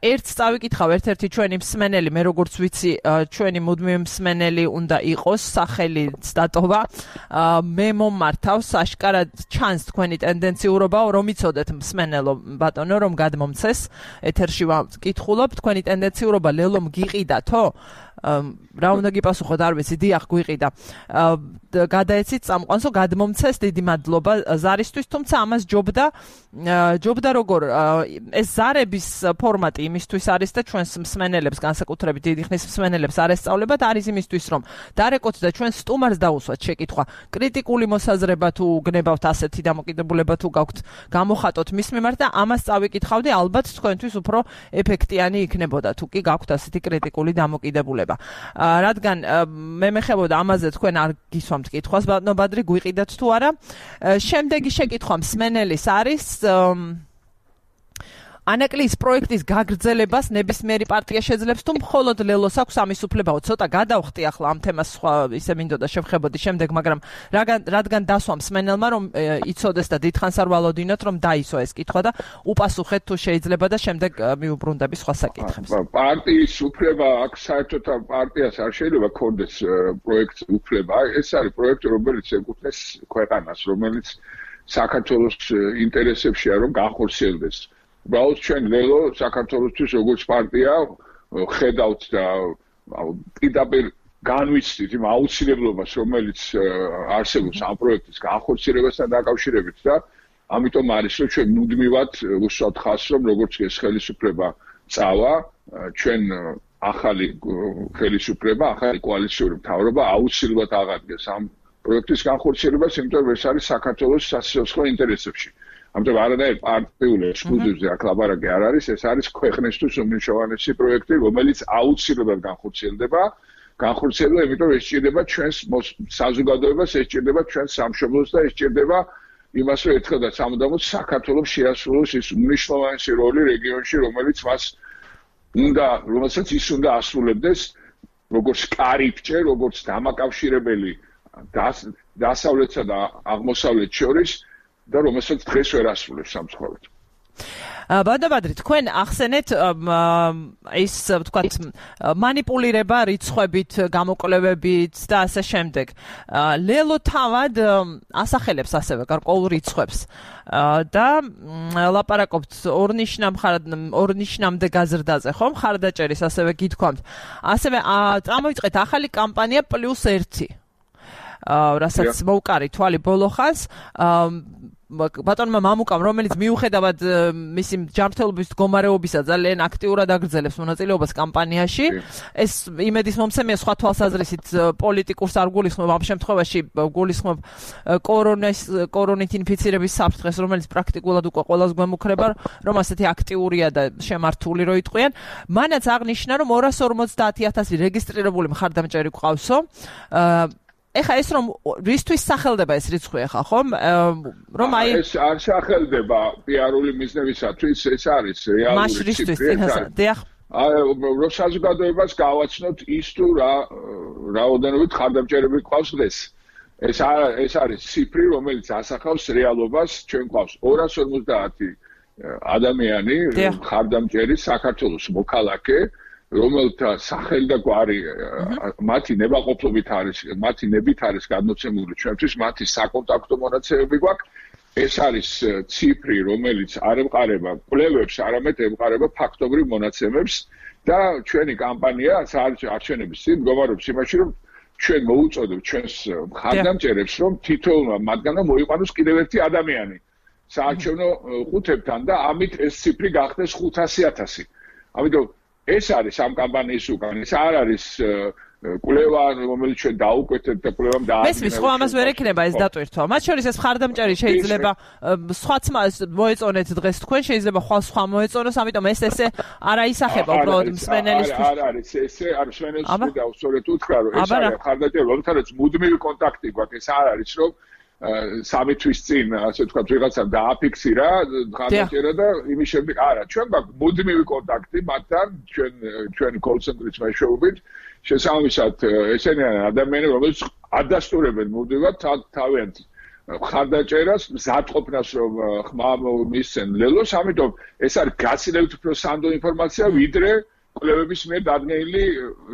ერთს წავიკითხავ, ერთ-ერთი ჩვენი მსმენელი, მე როგორც ვიცი, ჩვენი მუდმივი მსმენელი უნდა იყოს, სახელიც დატოვა. მე მომართავს, აშკარად ჩანს თქვენი ტენდენციურობა, რომ იცოდეთ მსმენელო ბატონო, რომ გადმომცეს ეთერში ვკითხულობ, თქვენი ტენდენციურობა ლელომ გიყიდათო? რა უნდა გიპასუხოთ, არ ვიცი, დიახ, გვიყიდა. გადაეცით წამყვანსო, გადმომცეს, დიდი მადლობა ზარისთვის, თუმცა ამას ჯობდა როგორ ეს ზარების ფორმატი იმისთვის არის და ჩვენს მსმენელებს, განსაკუთრებით დიდი ხნის მსმენელებს არ ესწავლებათ, არის იმისთვის, რომ დარეკოთ და ჩვენ სტუმარს დაუსვათ შეკითხვა. კრიტიკული მოსაზრება თუ გნებავთ ასეთი დამოკიდებულება თუ გაქვთ, გამოხატოთ მის მიმართ და ამას წავიკითხავდი, ალბათ თქვენთვის უფრო ეფექტიანი იქნებოდა, თუ კი გაქვთ ასეთი კრიტიკული დამოკიდებულება. რადგან მე მეხებოდა ამაზე თქვენ არ გისვამთ კითხვას, ბატონო ბადრი, გვიყიდათ თუ არა. შემდეგი შეკითხვა მსმენელის არის ანაკლიის პროექტის გაგრძელებას ნებისმიერი პარტია შეძლებს თუ მხოლოდ ლელოს აქვს ამის უფლებაო? ცოტა გადავხტი ახლა ამ თემას, სხვა ისე მინდოდა შევხებოდი შემდეგ, მაგრამ რადგან დასვა მსმენელმა, რომ იცოდეს და დიდხანს არ ვალოდინოთ, რომ დაისვა ეს კითხვა და უპასუხეთ თუ შეიძლება და შემდეგ მიუბრუნდები სხვა საკითხებს. პარტიის უფლება აქ საერთოდ პარტიას არ შეიძლება ქონდეს პროექტის უფლება. ეს არის პროექტი, რომელიც ეკუთვნის ქვეყანას, რომელიც საქართველოს ინტერესებშია, რომ განხორციელდეს. უბრალოდ ჩვენ ლელო საქართველოსთვის როგორც პარტია ხედავთ და პირდაპირ განვიცდით იმ აუცილებლობას, რომელიც არსებობს ამ პროექტის განხორციელებასთან დაკავშირებით და ამიტომ არის, რომ ჩვენ მუდმივად უსვამთ ხაზს, რომ როგორც ეს ხელისუფლება წავა, ჩვენ ახალი ხელისუფლება, ახალი კოალიციური მთავრობა აუცილებლად აღადგენს ამ პროექტის განხორციელებას, იმიტომ რომ ეს არის საქართველოს სასიცოცხლო ინტერესებში. ამიტომ არანაირ პარტიულ ექსკლუზივზე აქ ლაპარაკი არ არის, ეს არის ქვეყნისთვის უმნიშვნელოვანესი პროექტი, რომელიც აუცილებლად განხორციელდება, იმიტომ ეს სჭირდება ჩვენს საზოგადოებას, ეს სჭირდება ჩვენს სამშობლოს და ეს სჭირდება იმას, რომ ერთხელ და სამუდამოდ საქართველოს შეასრულოს ის უმნიშვნელოვანესი როლი რეგიონში, რომელსაც ის უნდა ასრულებდეს, როგორც კარიბჭე, როგორც დამაკავშირებელი დასავლეთსა და აღმოსავლეთ შორის და რომელსაც დღეს ვერ ასრულებს სამწუხაროდ. ბატონო ბადრი, თქვენ ახსენეთ ის ვთქვათ მანიპულირება რიცხვებით, გამოკვლევებით და ასე შემდეგ. ლელო თავად ასახელებს ასევე გარკვეულ რიცხვებს და ლაპარაკობთ ორნიშნამდე გაზრდაზე, ხო? მხარდაჭერის ასევე გითქვამთ. ასევე წამოიწყეთ ახალი კამპანია +1. რასაც მოუკარი თვალი ბოლოხას ბატონმა მამუკამ, რომელიც მიუხედავად მისი ჯანმრთელობის მდგომარეობისა ძალიან აქტიურად აგრძელებს მონაწილეობას კამპანიაში, ეს იმედის მომცემია სხვა თვალსაზრისით პოლიტიკურს არ გულისხმობ, ამ შემთხვევაში გულისხმობ კორონით ინფიცირების საფრთხეს, რომელიც პრაქტიკულად უკვე ყველას გვემუქრება, რომ ასეთი აქტიურია და შემართული რო იტყვიან. მანაც აღნიშნა, რომ 250,000 რეგისტრირებული მხარდამჭერი გვყავსო. ეხა ეს რომ რისთვის სახელდება ეს რიცხვი ეხა ხომ? რომ აი ეს არ სახელდება პიარული მიზნებისათვის, ეს არის რეალური ციფრი. რომ საზოგადოებას გავაცნოთ ის თუ რა რაოდენობით მხარდამჭერები გვყავს დღეს. ეს არის ციფრი, რომელიც ასახავს რეალობას, ჩვენ გვყავს 250 ადამიანი მხარდამჭერი საქართველოს მოქალაქე, რომელთა სახელი და გვარი მათი ნებაყოფლობით არის, მათი ნებით არის გადმოცემული ჩვენთვის, მათი საკონტაქტო მონაცემები გვაქვს. ეს არის ციფრი, რომელიც არ ემყარება კვლევებს, არამედ ემყარება ფაქტობრივ მონაცემებს და ჩვენი კამპანია არჩევნების წინ მდგომარეობს იმაში, რომ ჩვენ მოუწოდოთ ჩვენს მხარდამჭერებს, რომ თითოეულმა მათგანმა მოიყვანოს კიდევ ერთი ადამიანი საარჩევნო ყუთებთან და ამით ეს ციფრი გახდეს 500,000. ამიტომ ეს არის ამ კამპანიის უკან, ეს არ არის კვლევა რომელიც ჩვენ დაუკვეთეთ და კვლევამ დაადგინა. მესმის ხო ამას ვერ ექნება ეს დატვირთვა. მათ შორის ეს მხარდამჭერი შეიძლება სხვაც მოეწონეთ დღეს თქვენ შეიძლება სხვა მოეწონოს, ამიტომ ესე არ აისახება უბრალოდ მსმენელისთვის. არ არის ესე არ მსმენელს და უსწორეთ უთხრა რომ ეს არის მხარდამჭერი, როდესაც მუდმივი კონტაქტი გვაქვს, ეს არ არის რომ 3 თვის წინ ასე ვთქვათ ვიღაცამ დააფიქსირა მხარდამჭერა და იმის შემდეგ არა, ჩვენ გვაქვს მუდმივი კონტაქტი მათთან, ჩვენ call center-ის მეშვეობით. შესაბამისად ესენი ადამიანები რომელიც ადასტურებენ მუდმივად თავიანთ მხარდაჭერას მზადყოფნას რომ ხმა მისცენ ლელოს, ამიტომ ეს არის გაცილებით უფრო სანდო ინფორმაცია ვიდრე კვლევების მიერ დადგენილი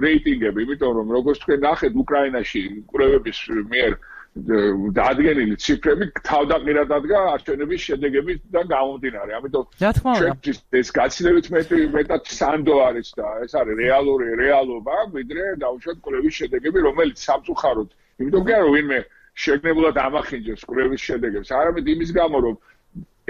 რეიტინგები, იმიტომ რომ როგორც თქვენ ნახეთ უკრაინაში კვლევების მიერ დადგენილი ციფრები თავდაყირად დადგა არჩევნების შედეგებიდან გამომდინარე. ამიტომ ჩვენთვის ეს გაცილებით მეტად სანდო არის და ეს არის რეალობა, ვიდრე დაუშვათ კვლევის შედეგები, რომელიც სამწუხაროდ, იმიტომ კი არა ვინმე შეგნებულად ამახინჯებს კვლევის შედეგებს, არამედ იმის გამო, რომ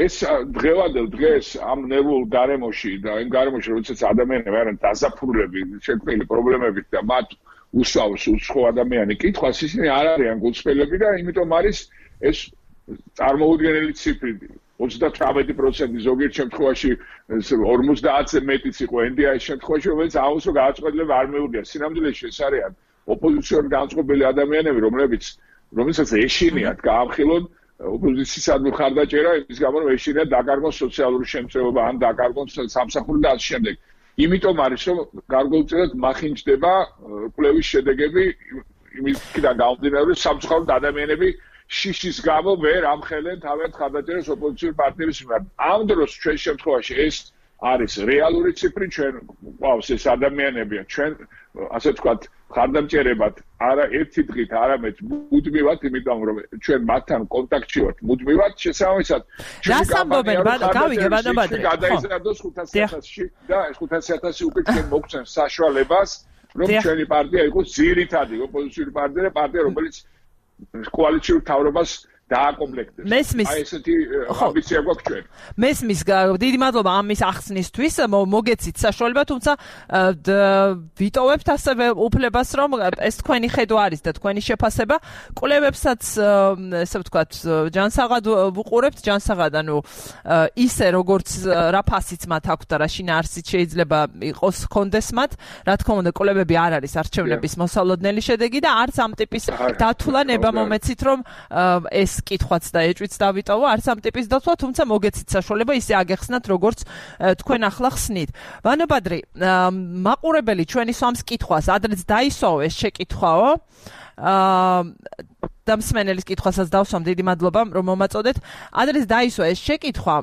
ეს დღევანდელ დღეს ამ ნერვულ გარემოში და იმ გარემოში, როდესაც ადამიანები არიან დაზაფხულები, შექმნილი პრობლემებით და მათ უსვავს უცხო ადამიანი კითხვას, ისინი არ არიან გულწრფელები და იმიტომ არის ეს წარმოუდგენელი ციფრი 38% ზოგიერთ შემთხვევაში 50-ზე მეტიც იყო NDI-ის შემთხვევაში, რომელიც აუცილებლად გააწყობილება არ მეუღია. სინამდვილეში ეს არიან ოპოზიციურ განწყობილი ადამიანები, რომელსაც ეშინიათ გაამხილონ ოპოზიციისადმი მხარდაჭერა, იმის გამო რომ ეშინიათ დაკარგონ სოციალური შემწეობა ან დაკარგონ სამსახური და ასე შემდეგ. იმიტომ არის რომ გარკვეულწილად მახინჯდება კვლევის შედეგები იმისგან გამომდინარე რომ სამწუხაროდ ადამიანები შიშის გამო ვერ ამხელენ თავიანთ მხარდაჭერას ოპოზიციურ პარტნიორის მიმართ. ამ დროს ჩვენ შემთხვევაში ეს არის რეალური ციფრი, ჩვენ ყავს ეს ადამიანებია, ჩვენ ასე ვთქვათ მხარდამჭერებად არა ერთი დღით, არამედ მუდმივად, იმიტომ რომ ჩვენ მათთან კონტაქტში ვართ მუდმივად, შესაბამისად რას ამბობენ, გავიგე ბადაბადე. გადაიზარდოს 500,000-ში და ეს 500,000 უკვე ჩვენ მოგცემს საშუალებას, რომ ჩვენი პარტია იყოს ძირითადი ოპოზიციური პარტია, რომელიც კოალიციურ თავრობას დააკომპლექტებს. აი ესეთი ამბიცია გვაქვს ჩვენ. მესმის დიდი მადლობა ამის ახსნისთვის, მოგეცით საშუალება, თუმცა ვიტოვებთ ასევე უფლებას, რომ ეს თქვენი ხედვა არის და თქვენი შეფასება. კვლევებსაც ესე ვთქვათ, ჯანსაღად ვუყურებთ, ჯანსაღად, ანუ ისე როგორც რა ფასიც მათ აქვს და რა შინაარსიც შეიძლება იყოს კონდეს მათ, რა თქმა უნდა, კვლევები არ არის არჩევნების მოსალოდნელი შედეგი და არც ამ ტიპის დათვლა ნება მომეცით, რომ ეს კითხვაც და ეჭვიც დავიტოვო, არც ამ ტიპის დათვლა, თუმცა მოგეცით საშუალება ისე აგეხსნათ, როგორც თქვენ ახლა ხსნით. ვანო-ბადრი, მაყურებელი ჩვენი სვამს კითხვას, ადრეც დაისვაო ეს შეკითხვაო. და მსმენელის კითხვასაც დავსვამ, დიდი მადლობა, რომ მომაწოდეთ. ადრეც დაისვა ეს შეკითხვა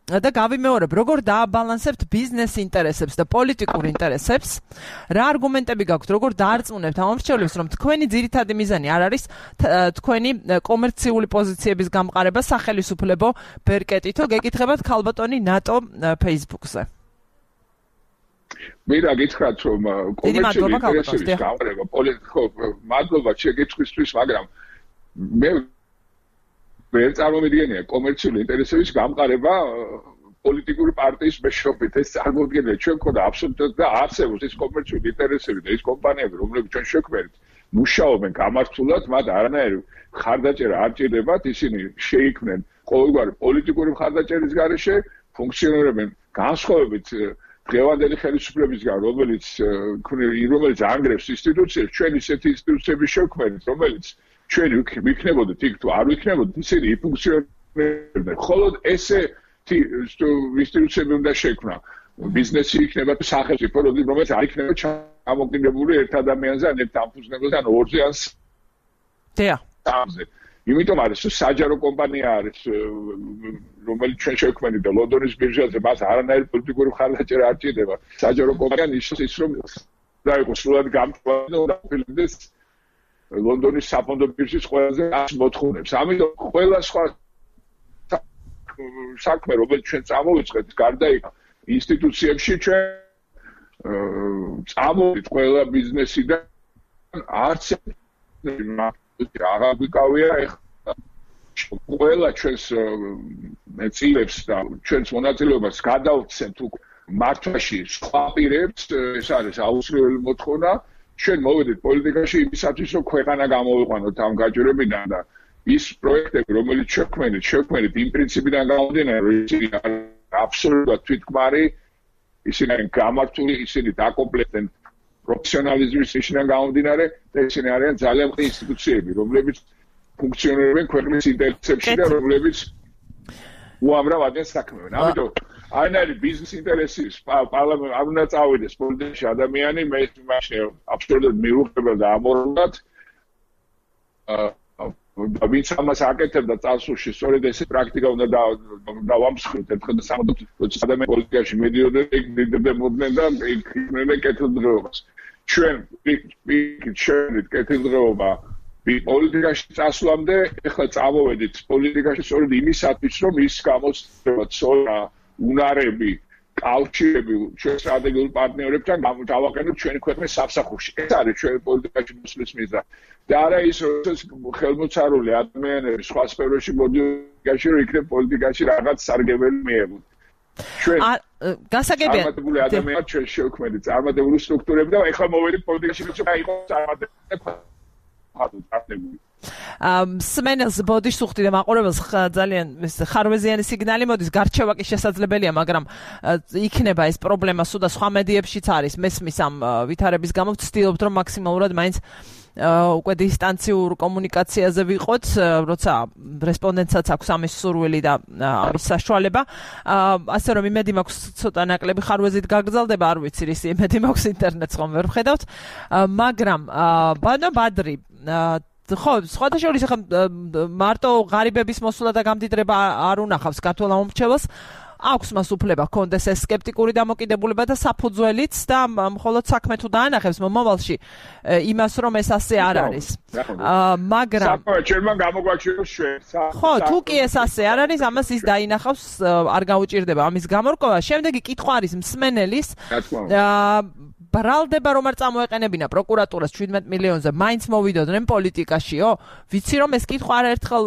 და გავიმეორებ, როგორ დააბალანსებთ ბიზნეს ინტერესებს და პოლიტიკურ ინტერესებს, რა არგუმენტები გაქვთ, როგორ დაარწმუნებთ ამომრჩევლებს, რომ თქვენი ძირითადი მიზანი არ არის თქვენი კომერციული პოზიციების გამყარება სახელმწიფო ბერკეტითო, გეკითხებათ ქალბატონი ნატო Facebook-ზე. მე რა გითხრათ, რომ კომერციული ინტერესების გამყარება პოლიტიკო, მადლობა შეკითხვისთვის, მაგრამ მე ვერ წარმომიდგენია კომერციული ინტერესების გამყარება პოლიტიკური პარტიის მეშვეობით. ეს წარმოუდგენელია, ჩვენ მქონდა აბსოლუტურად და არსებობს ეს კომერციული ინტერესები და ეს კომპანიები, რომლებიც ჩვენ შექმნით, მუშაობენ გამართულად, მათ არანაირი მხარდაჭერა არ ჭირდებათ, ისინი შეიქმნენ ყოველგვარი პოლიტიკური მხარდაჭერის გარეშე, ფუნქციონირებენ განსხვავებით დღევანდელი ხელისუფლებისგან, რომელიც ანგრევს ინსტიტუციებს, ჩვენ ისეთი ინსტიტუციების შექმნით, რომელიც ჩვენ ვიქნებოდით იქ თუ არ ვიქნებოდით, ისინი იფუნქციონირებდნენ. ხოლო ესე ინსტიტუციები უნდა შექმნა. ბიზნესი იქნება სახელმწიფო, რომელიც არ იქნება ჩამოკიდებული ერთ ადამიანზე, ან ერთ დამფუძნებელზე, ან ორზე, ან სამზე. იმიტომ არის, რომ საჯარო კომპანია არის, რომელიც ჩვენ შექმნით და ლონდონის ბირჟაზე მას არანაირი პოლიტიკური მხარდაჭერა არ ჭირდება. საჯარო კომპანია ნიშნავს ის, რომ და იყოს სულად გამწვავი და აფილმდეს ლონდონის საფონდო ბირჟის ყველაზე მოთხოვნებს. ამიტომ ყველა სხვა საქმე, რომელიც ჩვენ წამოვიწყეთ, გარდა იქ ინსტიტუციებში ჩვენ წამოვიდით ყველა ბიზნესიდან არც აღარ ვიკავია ეხლა ყველა ჩვენს წილებს და ჩვენს მონაწილეობას გადავცემთ უკვე მართვაში სხვა პირებს, ეს არის აუცილებელი მოთხოვნა ჩვენ მოვედით პოლიტიკაში იმისათვის, რომ ქვეყანა გამოვიყვანოთ ამ გაჭირვებიდან და ის პროექტები, რომელიც შექმნით იმ პრინციპიდან გამომდინარე, რომ ისინი აბსოლუტურად თვითქმარი, ისინი არიან გამართული, ისინი დაკომპლექტენ პროფესიონალიზმის ნიშნიდან გამომდინარე და ისინი არიან ძალიან მყარი ინსტიტუციები, რომლებიც ფუნქციონირებენ ქვეყნის ინტერესებში და რომლებიც უამრავ ადამიანს საქმეობენ. ამიტომ აინარი ბიზნეს ინტერესის პარლამენტ არ უნდა წავიდეს პოლიტიკაში ადამიანი, მე მაშინ აბსოლუტურად მიუღებელ და ამორალად ვინც ამას აკეთებდა წარსულში, სწორედ ესე პრაქტიკა უნდა დავამსხვრით ერთხელ და სამუდამოდ, როცა ადამიანი პოლიტიკაში მიდიოდნენ, მიდდებოდნენ და იქნებდნენ კეთილდღეობას. ჩვენ კეთილდღეობა პოლიტიკაში წასვლამდე ეხლა წამოვედით პოლიტიკაში სწორედ იმისათვის, რომ ის გამოსწრება ცოდნა, უნარები, კავშირები ჩვენ სტრატეგიულ პარტნიორებთან დავაყენოთ ჩვენი ქვეყნის სამსახურში. ეს არის ჩვენი პოლიტიკაში მოსვლის მიზანი. და არა ის, რომ ხელმოწარული ადამიანები სხვა სფეროში მოდიოდნენ, რომ იქნებ პოლიტიკაში რაღაც სარგებელი მიიღოთ. ჩვენ გასაგებია წარმატებული ადამიანები ჩვენ შევქმნით წარმატებული სტრუქტურები და ეხლა მოვედით პოლიტიკაში, რომ აიღოს წარმატებული სმენელს ბოდიშს უხდი და მაყურებელს ძალიან ხარვეზიანი სიგნალი მოდის, გარჩევა კი შესაძლებელია, მაგრამ იქნება ეს პრობლემა სულ და სხვა მედიებშიც არის. მესმის ამ ვითარების გამო ვცდილობთ, რომ მაქსიმალურად მაინც უკვე დისტანციურ კომუნიკაციაზე ვიყოთ, როცა რესპონდენტსაც აქვს ამის სურვილი და ამის საშუალება. ასე რომ იმედი მაქვს ცოტა ნაკლები ხარვეზით გაგრძელდება, არ ვიცი რის იმედი მაქვს ინტერნეტს ხომ ვერ ვხედავთ, მაგრამ ბანო ბადრი ხო, სხვათა შორის ახლა მარტო ღარიბების მოსვლა და გამდიდრება არ უნახავს ქართულ ამომრჩეველს. აქვს მას უფლება ჰქონდეს ეს სკეპტიკური დამოკიდებულება და საფუძველიც და მხოლოდ საქმე თუ დაანახებს მომავალში იმას, რომ ეს ასე არ არის. მაგრამ ჩვენმა გამოგვაჩვენოს ჩვენ. ხო, თუ კი ეს ასე არ არის, ამას ის დაინახავს, არ გაუჭირდება ამის გამორკვევა. შემდეგი კითხვა არის მსმენელის. ბრალდება რომ არ წამოეყენებინა პროკურატურას 17 მილიონზე, მაინც მოვიდოდნენ პოლიტიკაშიო? ვიცი რომ ეს კითხვა არაერთხელ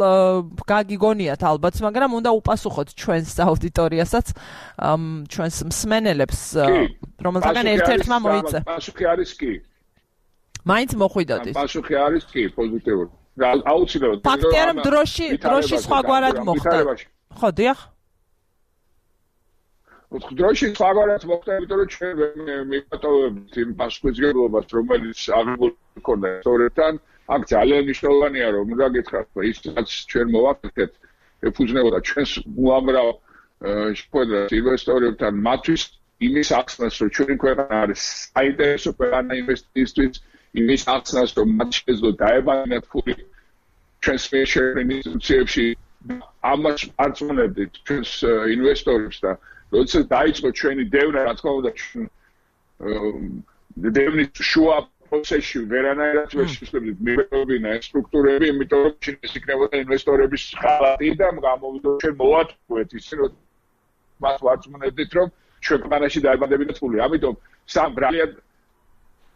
გაგიგონიათ ალბათ, მაგრამ უნდა უპასუხოთ ჩვენს აუდიტორიასაც, ჩვენს მსმენელებს, რომელთაგან ერთ-ერთმა მოიწე. პასუხი არის კი. მაინც მოხვიდოდით. პასუხი არის კი, პოზიტიური. აუცილებლად. ფაქტია რომ დროში სხვაგვარად მოხდა. ხო, დიახ. დროში სხვაგვარად მოხდა, იმიტომ რომ ჩვენ მივატოვებთ იმ პასუხისმგებლობას, რომელიც აღებული ქონდა სწორედთან. აქ ძალიან მნიშვნელოვანია, რომ უნდა გითხრათ, ის რაც ჩვენ მოვაკეთეთ, ეფუძნებოდა ჩვენს უამრავ შეხვედრას ინვესტორებთან, მათთვის იმის ახსნას, რომ ჩვენი ქვეყანა არის საინტერესო ქვეყანა ინვესტიციისთვის, იმის ახსნას, რომ მათ შეძლო დაებანათ ფული ჩვენს ინსტიტუციებში, ამას არწმუნებდით ჩვენს ინვესტორებს და როცა დაიწყო ჩვენი დევნა, რა თქმა უნდა, დევნის შუა პროცესში ვერანაირად ვერ შეგვიძლია მივეყობინა ეს სტრუქტურები, იმიტომ რომ ის იქნებოდა ინვესტორების ხალხი და გამოვიდა ჩვენ მოვატყუეთ ისე, რომ მას ვარწმუნებდით, რომ ჩვენ ქვეყანაში დაებანდებინათ ფული. ამიტომ სამ ბრალად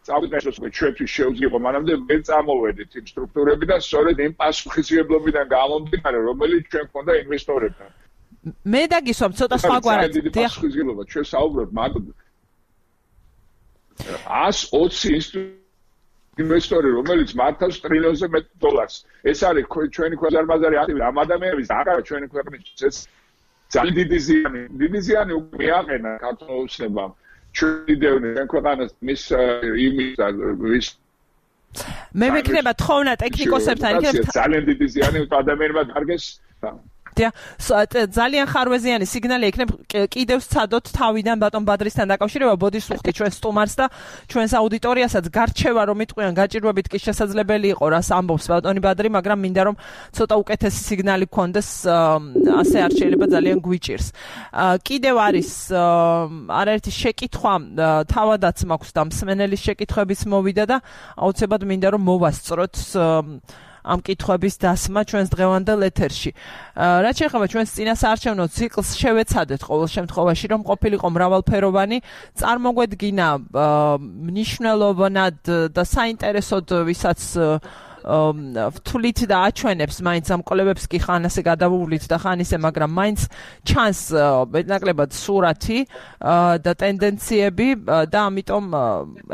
წავიდეთ, რომ ჩვენთვის შეუძლია, მანამდე ვერ წამოვედით იმ სტრუქტურებიდან, სწორედ იმ პასუხისმგებლობიდან გამომდინარე, რომელიც ჩვენ ქონდა ინვესტორებთან. მე დაგისვამ ცოტა სხვაგვარად. დიახ. ჩვენ საუბრობთ მარტო 120 ინვესტორი, რომელიც მართავს ტრილიონზე მეტ დოლარს. ეს არის ჩვენი ქვეყანაზე აქტივი ამ ადამიანების აღარა ჩვენი ქვეყნის ეს ძალიან დიდი ზიანი უკვე მიაყენა ქართულ ოცნებამ. ჩვენი დევნე ჩვენ ქვეყანას მის იმის მე მექნება თხოვნა ტექნიკოსებთან იქნებ ძალიან დიდი ზიანი ადამიანებმა დარგეს. ძალიან ხარვეზიანი სიგნალი იქნებ კიდევ სცადოთ თავიდან ბატონ ბადრისთან დაკავშირება, ბოდიშს უხდი ჩვენს სტუმარს და ჩვენს აუდიტორიასაც გარჩევა რომ იტყვიან გაჭირვებით კი შესაძლებელი იყო რას ამბობს ბატონი ბადრი, მაგრამ მინდა რომ ცოტა უკეთესი სიგნალი გქონდეს, ასე არ შეიძლება ძალიან გვიჭირს. კიდევ არის არაერთი შეკითხვა თავადაც მაქვს და მსმენელის შეკითხვების მოვიდა და აუცილებლად მინდა რომ მოვასწროთ ამ კითხვების დასმა ჩვენს დღევანდელ ეთერში. რაც შეეხება ჩვენს წინასაარჩევნო ციკლს შევეცადეთ ყოველ შემთხვევაში, რომ ყოფილიყო მრავალფეროვანი, წარმოგვედგინა მნიშვნელოვნად და საინტერესოდ, ვისაც ვთვლით და აჩვენებს მაინც ამ კოლებებს კი ხან ასე გადავუვლით და ხან ისე, მაგრამ მაინც ჩანს მეტნაკლებად სურათი და ტენდენციები და ამიტომ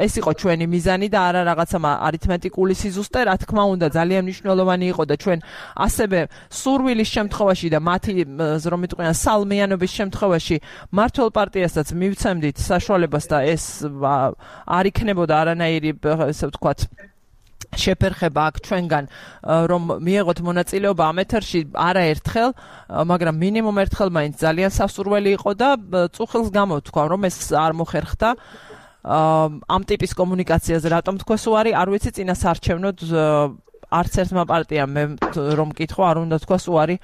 ეს იყო ჩვენი მიზანი და არა რაღაცა არითმეტიკული სიზუსტე, რა თქმა უნდა, ძალიან მნიშვნელოვანი იყო და ჩვენ ასევე სურვილის შემთხვევაში და მათი რომ მიტყვიან სალმიანობის შემთხვევაში მართლ პარტიასაც მივცემდით საშუალებას და ეს არ იქნებოდა არანაირი ესე ვთქვათ შეფერხება აქ ჩვენგან რომ მიიღოთ მონაწილეობა ამ ეთერში არაერთხელ, მაგრამ მინიმუმ ერთხელ მაინც ძალიან სასურველი იყო და წუხილს გამოვთქვა რომ ეს არ მოხერხდა ამ ტიპის კომუნიკაციაზე რატომ თქვეს უარი არ ვიცი წინასაარჩევნოდ არც ერთმა პარტიამ მე რომ მკითხო არ უნდა თქვას უარი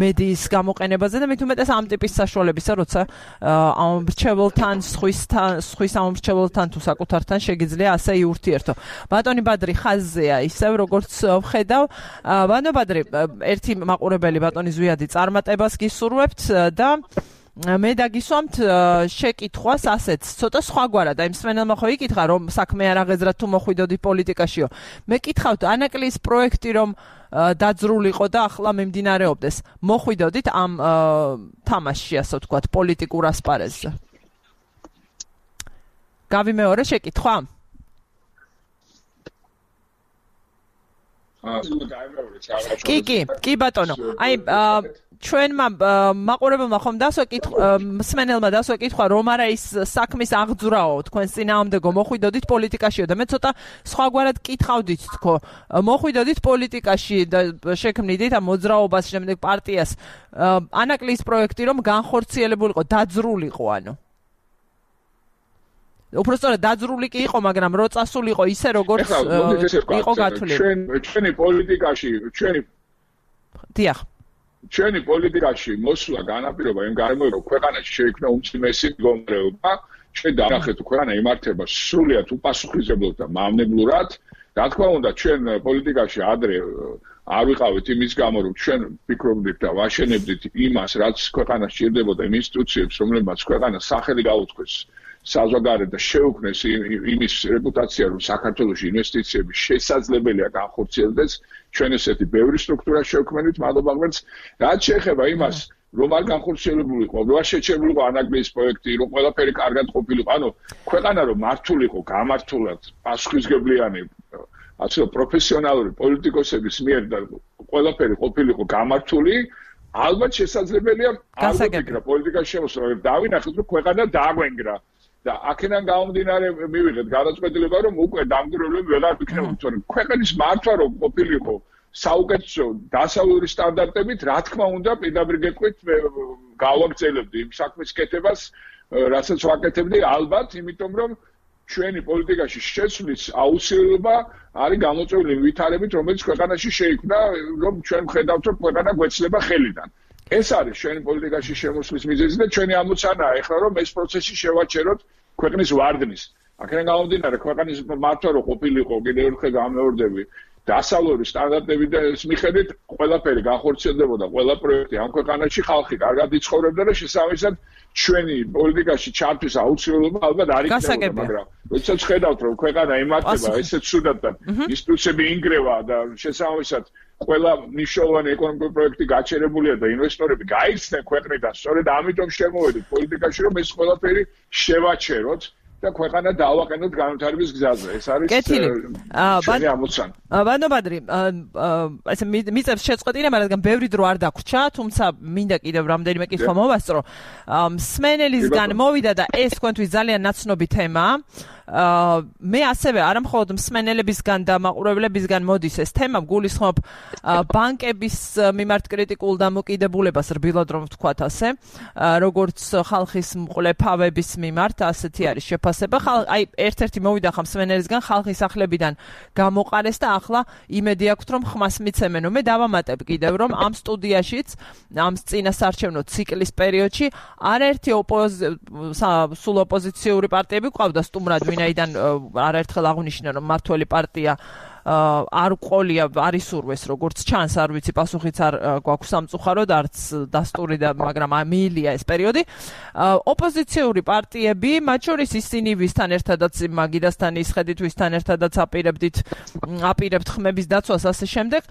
მედიის გამოყენებაზე და მით უმეტეს ამ ტიპის საშუალებისა როცა ამ მრჩეველთან სხვის ამ მრჩეველთან თუ საკუთართან შეგიძლია ასე იურთიერთო. ბატონი ბადრი ხაზზეა ისევ როგორც ვხედავ. ბატონი ბადრი ერთი მაყურებელი ბატონი ზვიადი წარმატებას გისურვებთ და მე დაგისვამთ შეკითხვას ასეც ცოტა სხვაგვარად აი მსმენელმა ხო იკითხა რომ საქმე არ აღეზრა თუ მოხვიდოდი პოლიტიკაშიო მე კითხავთ ანაკლის პროექტი რომ დაძრულიყო და ახლა მიმდინარეობდეს მოხვიდოდით ამ თამაშში ასე ვთქვათ პოლიტიკურ ასპარეზზე გავიმეორე შეკითხვა კი ბატონო აი ჩვენმა მაყურებელმა ხომ მსმენელმა დასვა კითხვა რომ არა ის საქმის აღძვრაო თქვენს წინააღმდეგო მოხვიდოდით პოლიტიკაშიო და მე ცოტა სხვაგვარად კითხავდით თქო მოხვიდოდით პოლიტიკაში და შექმნიდით ამ მოძრაობას შემდეგ პარტიას ანაკლის პროექტი რომ განხორციელებულიყო დაძრულიყო ანუ უბრალოდ დაძრული კი იყო მაგრამ რო წასულიყო ისე როგორც იყო გათვლილი ჩვენი პოლიტიკაში ჩვენი პოლიტიკაში მოსვლა განაპირობა იმ გარემოებამ რომ ქვეყანაში შეიქმნა უმცირესი მდგომარეობა ჩვენ დავახეთ ქვეყანა იმართება სრულიად უპასუხისმგებლად და მავნებლურად რა თქმა უნდა ჩვენ პოლიტიკაში ადრე არ ვიყავით იმის გამო რომ ჩვენ ვფიქრობდით და ვაშენებდით იმას რაც ქვეყანას სჭირდებოდა იმ ინსტიტუციებს რომლებმაც ქვეყანას სახელი გაუწყვეს საზოგადოება შეუქმნეს იმის რეპუტაცია რომ საქართველოში ინვესტიციები შესაძლებელია განხორციელდეს ჩვენ ესეთი ბევრი სტრუქტურა შევქმნით მადლობა ღმერთს რაც შეეხება იმას რომ არ განხორციელებულიყო რომ არ შეჩერებულიყო ანაკლის პროექტი რომ ყველაფერი კარგად ყოფილიყო ანუ ქვეყანა რომ მართულიყო გამართულად პასუხისმგებლიანი ასე პროფესიონალური პოლიტიკოსების მიერ და ყველაფერი ყოფილიყო გამართული ალბათ შესაძლებელია არ ვფიქრობ პოლიტიკაში შემოსვლა დავინახეთ რომ ქვეყანა დააგვენგრა და აქედან გამომდინარე მივიღეთ გადაწყვეტილება რომ უკვე დამკვირვებლები ვეღარ ვიქნებოდით თორემ ქვეყნის მართვა რომ ყოფილიყო საუკეთესო დასავლური სტანდარტებით რა თქმა უნდა პირდაპირ გეტყვით გავაგრძელებდი იმ საქმის კეთებას რასაც ვაკეთებდი ალბათ იმიტომ რომ ჩვენი პოლიტიკაში შეცვლის აუცილებლობა არის გამოწვეული ვითარებით რომელიც ქვეყანაში შეიქმნა რომ ჩვენ ვხედავთ რომ ქვეყანა გვეცლება ხელიდან ეს არის ჩვენი პოლიტიკაში შემოსვლის მიზეზი და ჩვენი ამოცანაა ეხლა რომ ეს პროცესი შევაჩეროთ ქვეყნის ვარდნის აქედან გამომდინარე ქვეყნის მართვა რო ყოფილიყო კიდევ ერთხელ გამეორდები დასავლური სტანდარტები და ეს მიხედვით ყველაფერი განხორციელდებოდა ყველა პროექტი ამ ქვეყანაში ხალხი კარგად იცხოვრებდა და შესაბამისად ჩვენი პოლიტიკაში ჩართვის აუცილებლობა ალბათ არ იქნებოდა მაგრამ როდესაც ხედავთ რომ ქვეყანა იმართება ესეც ცუდად და ინსტიტუციები ინგრევა და შესაბამისად ყველა მნიშვნელოვანი ეკონომიკური პროექტი გაჩერებულია და ინვესტორები გაიხსნენ ქვეყნიდან სწორედ ამიტომ შემოვედით პოლიტიკაში რომ ეს ყველაფერი შევაჩეროთ და ქვეყანა დავაყენოთ განვითარების გზაზე. ეს არის ჩვენი ამოცანა. ბატონო ბადრი, ესე მიწევს შეწყვეტინება, რადგან ბევრი დრო არ დაგვრჩა, თუმცა მინდა კიდევ რამდენიმე კითხვა მოვასწრო. სმენელისგან მოვიდა და ეს თქვენთვის ძალიან ნაცნობი თემაა. მე ასევე არა მხოლოდ მსმენელებისგან და მაყურებლებისგან მოდის ეს თემა, გულისხმობ ბანკების მიმართ კრიტიკულ დამოკიდებულებას რბილად რომ ვთქვათ ასე, როგორც ხალხის მყლეფავების მიმართ, ასეთი არის შეფასება. აი ერთ-ერთი მოვიდა ხა მსმენელისგან ხალხის სახლებიდან გამოყარეს და ახლა იმედი აქვს რომ ხმას მიცემენ. მე დავამატებ კიდევ რომ ამ სტუდიაშიც ამ წინასაარჩევნო ციკლის პერიოდში არაერთი სულ ოპოზიციური პარტიები ყავდა სტუმრად ვინაიდან არაერთხელ აღვნიშნა რომ მართველი პარტია არ ყოლია არის სურვეს როგორც ჩანს არ ვიცი პასუხიც არ გვაქვს სამწუხაროდ არც დასტური და მაგრამ მიილია ეს პერიოდი ოპოზიციური პარტიები მათ შორის ისინი ვისთან ერთადაც მაგიდასთან ისხედით ვისთან ერთადაც აპირებთ ხმების დაცვას ასე შემდეგ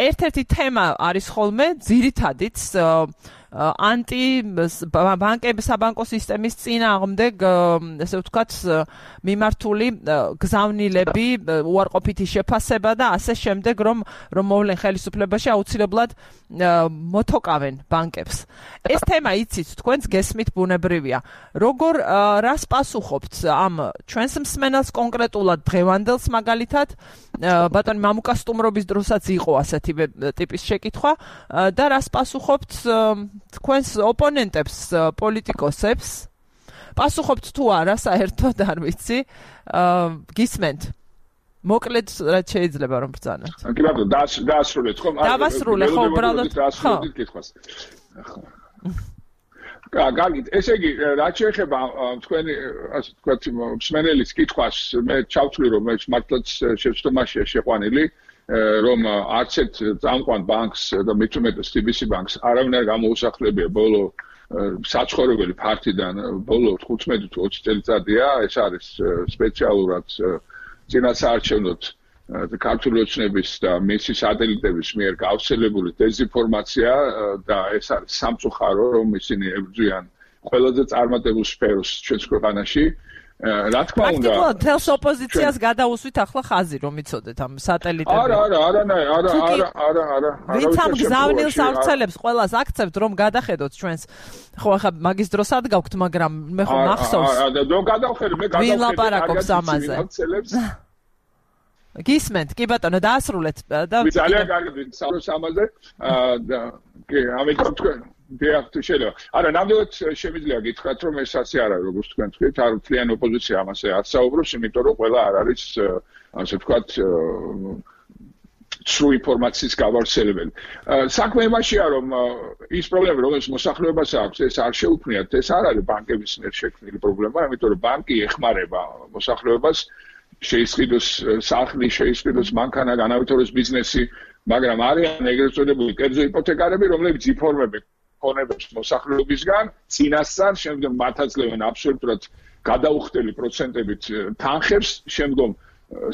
ერთ-ერთი თემა არის ხოლმე ძირითადით საბანკო სისტემის წინააღმდეგ ესე ვთქვათ მიმართული გზავნილები უარყოფითი შეფასება და ასე შემდეგ რომ მოვლენ ხელისუფლებაში აუცილებლად მოთოკავენ ბანკებს ეს თემა იცით თქვენს გესმით ბუნებრივია როგორ რას პასუხობთ ამ ჩვენს მსმენელს კონკრეტულად დღევანდელს მაგალითად ბატონი მამუკა სტუმრობის დროსაც იყო ასეთი ტიპის შეკითხვა და რას პასუხობთ თქვენს ოპონენტებს პოლიტიკოსებს პასუხობთ თუ არა საერთოდ არ ვიცი გისმენთ მოკლედ რაც შეიძლება რომ ბრძანოთ კი ბატონო დაასრულეთ ხო დავასრულე ხო უბრალოდ დაასრულეთ კითხვას გაგით ესე იგი რაც შეეხება თქვენი ასე ვთქვათ მსმენელის კითხვას მე ჩავთვლი რომ ეს მართლაც შეცდომაშია შეყვანილი რომ არც ერთ წამყვან ბანკს და მით უმეტეს TBC ბანკს არავინ არ გამოუსახლებია ბოლო საცხოვრებელი ფართიდან ბოლო 15 თუ 20 წელიწადია ეს არის სპეციალურად წინასაარჩევნოდ ქართული ოცნების და მისი სატელიტების მიერ გავრცელებული დეზინფორმაცია და ეს არის სამწუხარო რომ ისინი ებრძვიან ყველაზე წარმატებულ სფეროს ჩვენს ქვეყანაში რა თქმა უნდა პრაქტიკულად თელს ოპოზიციას გადაუსვით ახლა ხაზი რომ იცოდეთ ამ სატელიტები არა ვინც ამ გზავნილს ავრცელებს ყველას აქცევთ რომ გადახედოთ ჩვენს ხო ახლა მაგის დროს ადგავთ მაგრამ მე ხო მახსოვს რომ გადავხედე მე ვინ ლაპარაკობს ამაზე გისმენთ კი ბატონო დაასრულეთ და ძალიან კარგი საუბრობს ამაზე კი ამიტომ თქვენ დიახ შეიძლება არა ნამდვილად შემიძლია გითხრათ რომ ეს ასე არა როგორც თქვენ თქვით არ მთლიანი ოპოზიცია ამაზე არ საუბრობს იმიტომ რომ ყველა არ არის ასე ვთქვათ სრულ ინფორმაციის გავავრცელებელი საქმე იმაშია რომ ის პრობლემა რომელიც მოსახლეობას აქვს ეს არ შეუქმნიათ ეს არ არის ბანკების მიერ შექმნილი პრობლემა იმიტომ რომ ბანკი ეხმარება მოსახლეობას შეისყიდოს სახლი შეისყიდოს მანქანა განავითაროს ბიზნესი მაგრამ არიან ეგრეთ წოდებული კერძო იპოთეკარები რომლებიც ინფორმებებს მოსახლეობისგან წინასწარ შემდგომ მართლაცლებენ აბსოლუტურად გადაუხდელი პროცენტებით თანხებს შემდგომ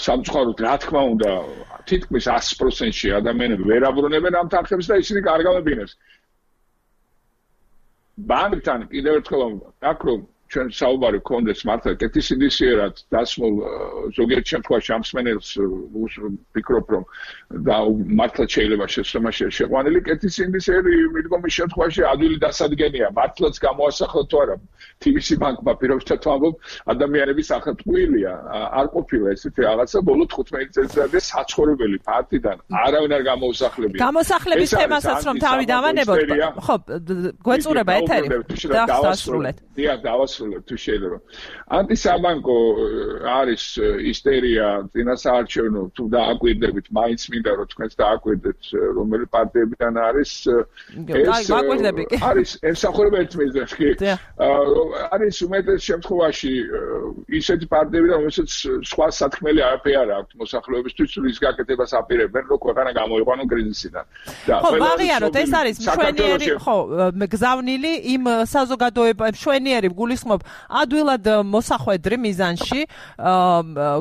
სამწუხაროდ რა თქმა უნდა თითქმის 100%-ში ადამიანები ვერ აბრუნებენ ამ თანხებს და ისინი კარგავებინებს ბანკთან კიდევ ერთხელ აქ რომ ჩვენ საუბარი გქონდეს მართლა კეთილსინდისიერად დასმულ ზოგიერთ შემთხვევაში ამ მსმენელს ვფიქრობ რომ და მართლა შეიძლება შეცდომაში შეყვანილი კეთილსინდისიერი მიდგომის შემთხვევაში ადვილი დასადგენია მართლაც გამოასახლა თუ არა TBC ბანკმა პირობითად ვამბობ ადამიანების ახალტყუილია არ ყოფილა ესეთი რაღაცა ბოლო 15 წელიწადია საცხოვრებელი ფაქტიდან არავინ არ გამოუსახლებია გამოსახლების თემასაც რომ თავი დავანებოთ ხო გვეწურება ეთერი დავასრულეთ დიახ დავასრულეთ თუ შეიძლება ანტისაბანკო არის ისტერია წინასაარჩევნო თუ დააკვირდებით მაინც მინდა რომ თქვენს დააკვირდეთ რომელი პარტიებიდან არის ეს არის ემსახურება ერთ მიზანს კი არის უმეტეს შემთხვევაში ისეთი პარტიები რომელსაც სხვა სათქმელი არაფერი არ აქვს მოსახლეობისთვის რის გაკეთებას აპირებენ რომ ქვეყანა გამოიყვანონ კრიზისიდან და ვაღიაროთ ეს არის მშვენიერი ხო გზავნილი იმ საზოგადოებებს მშვენიერი გულისხმობ ადვილად მოსახვედრი მიზანში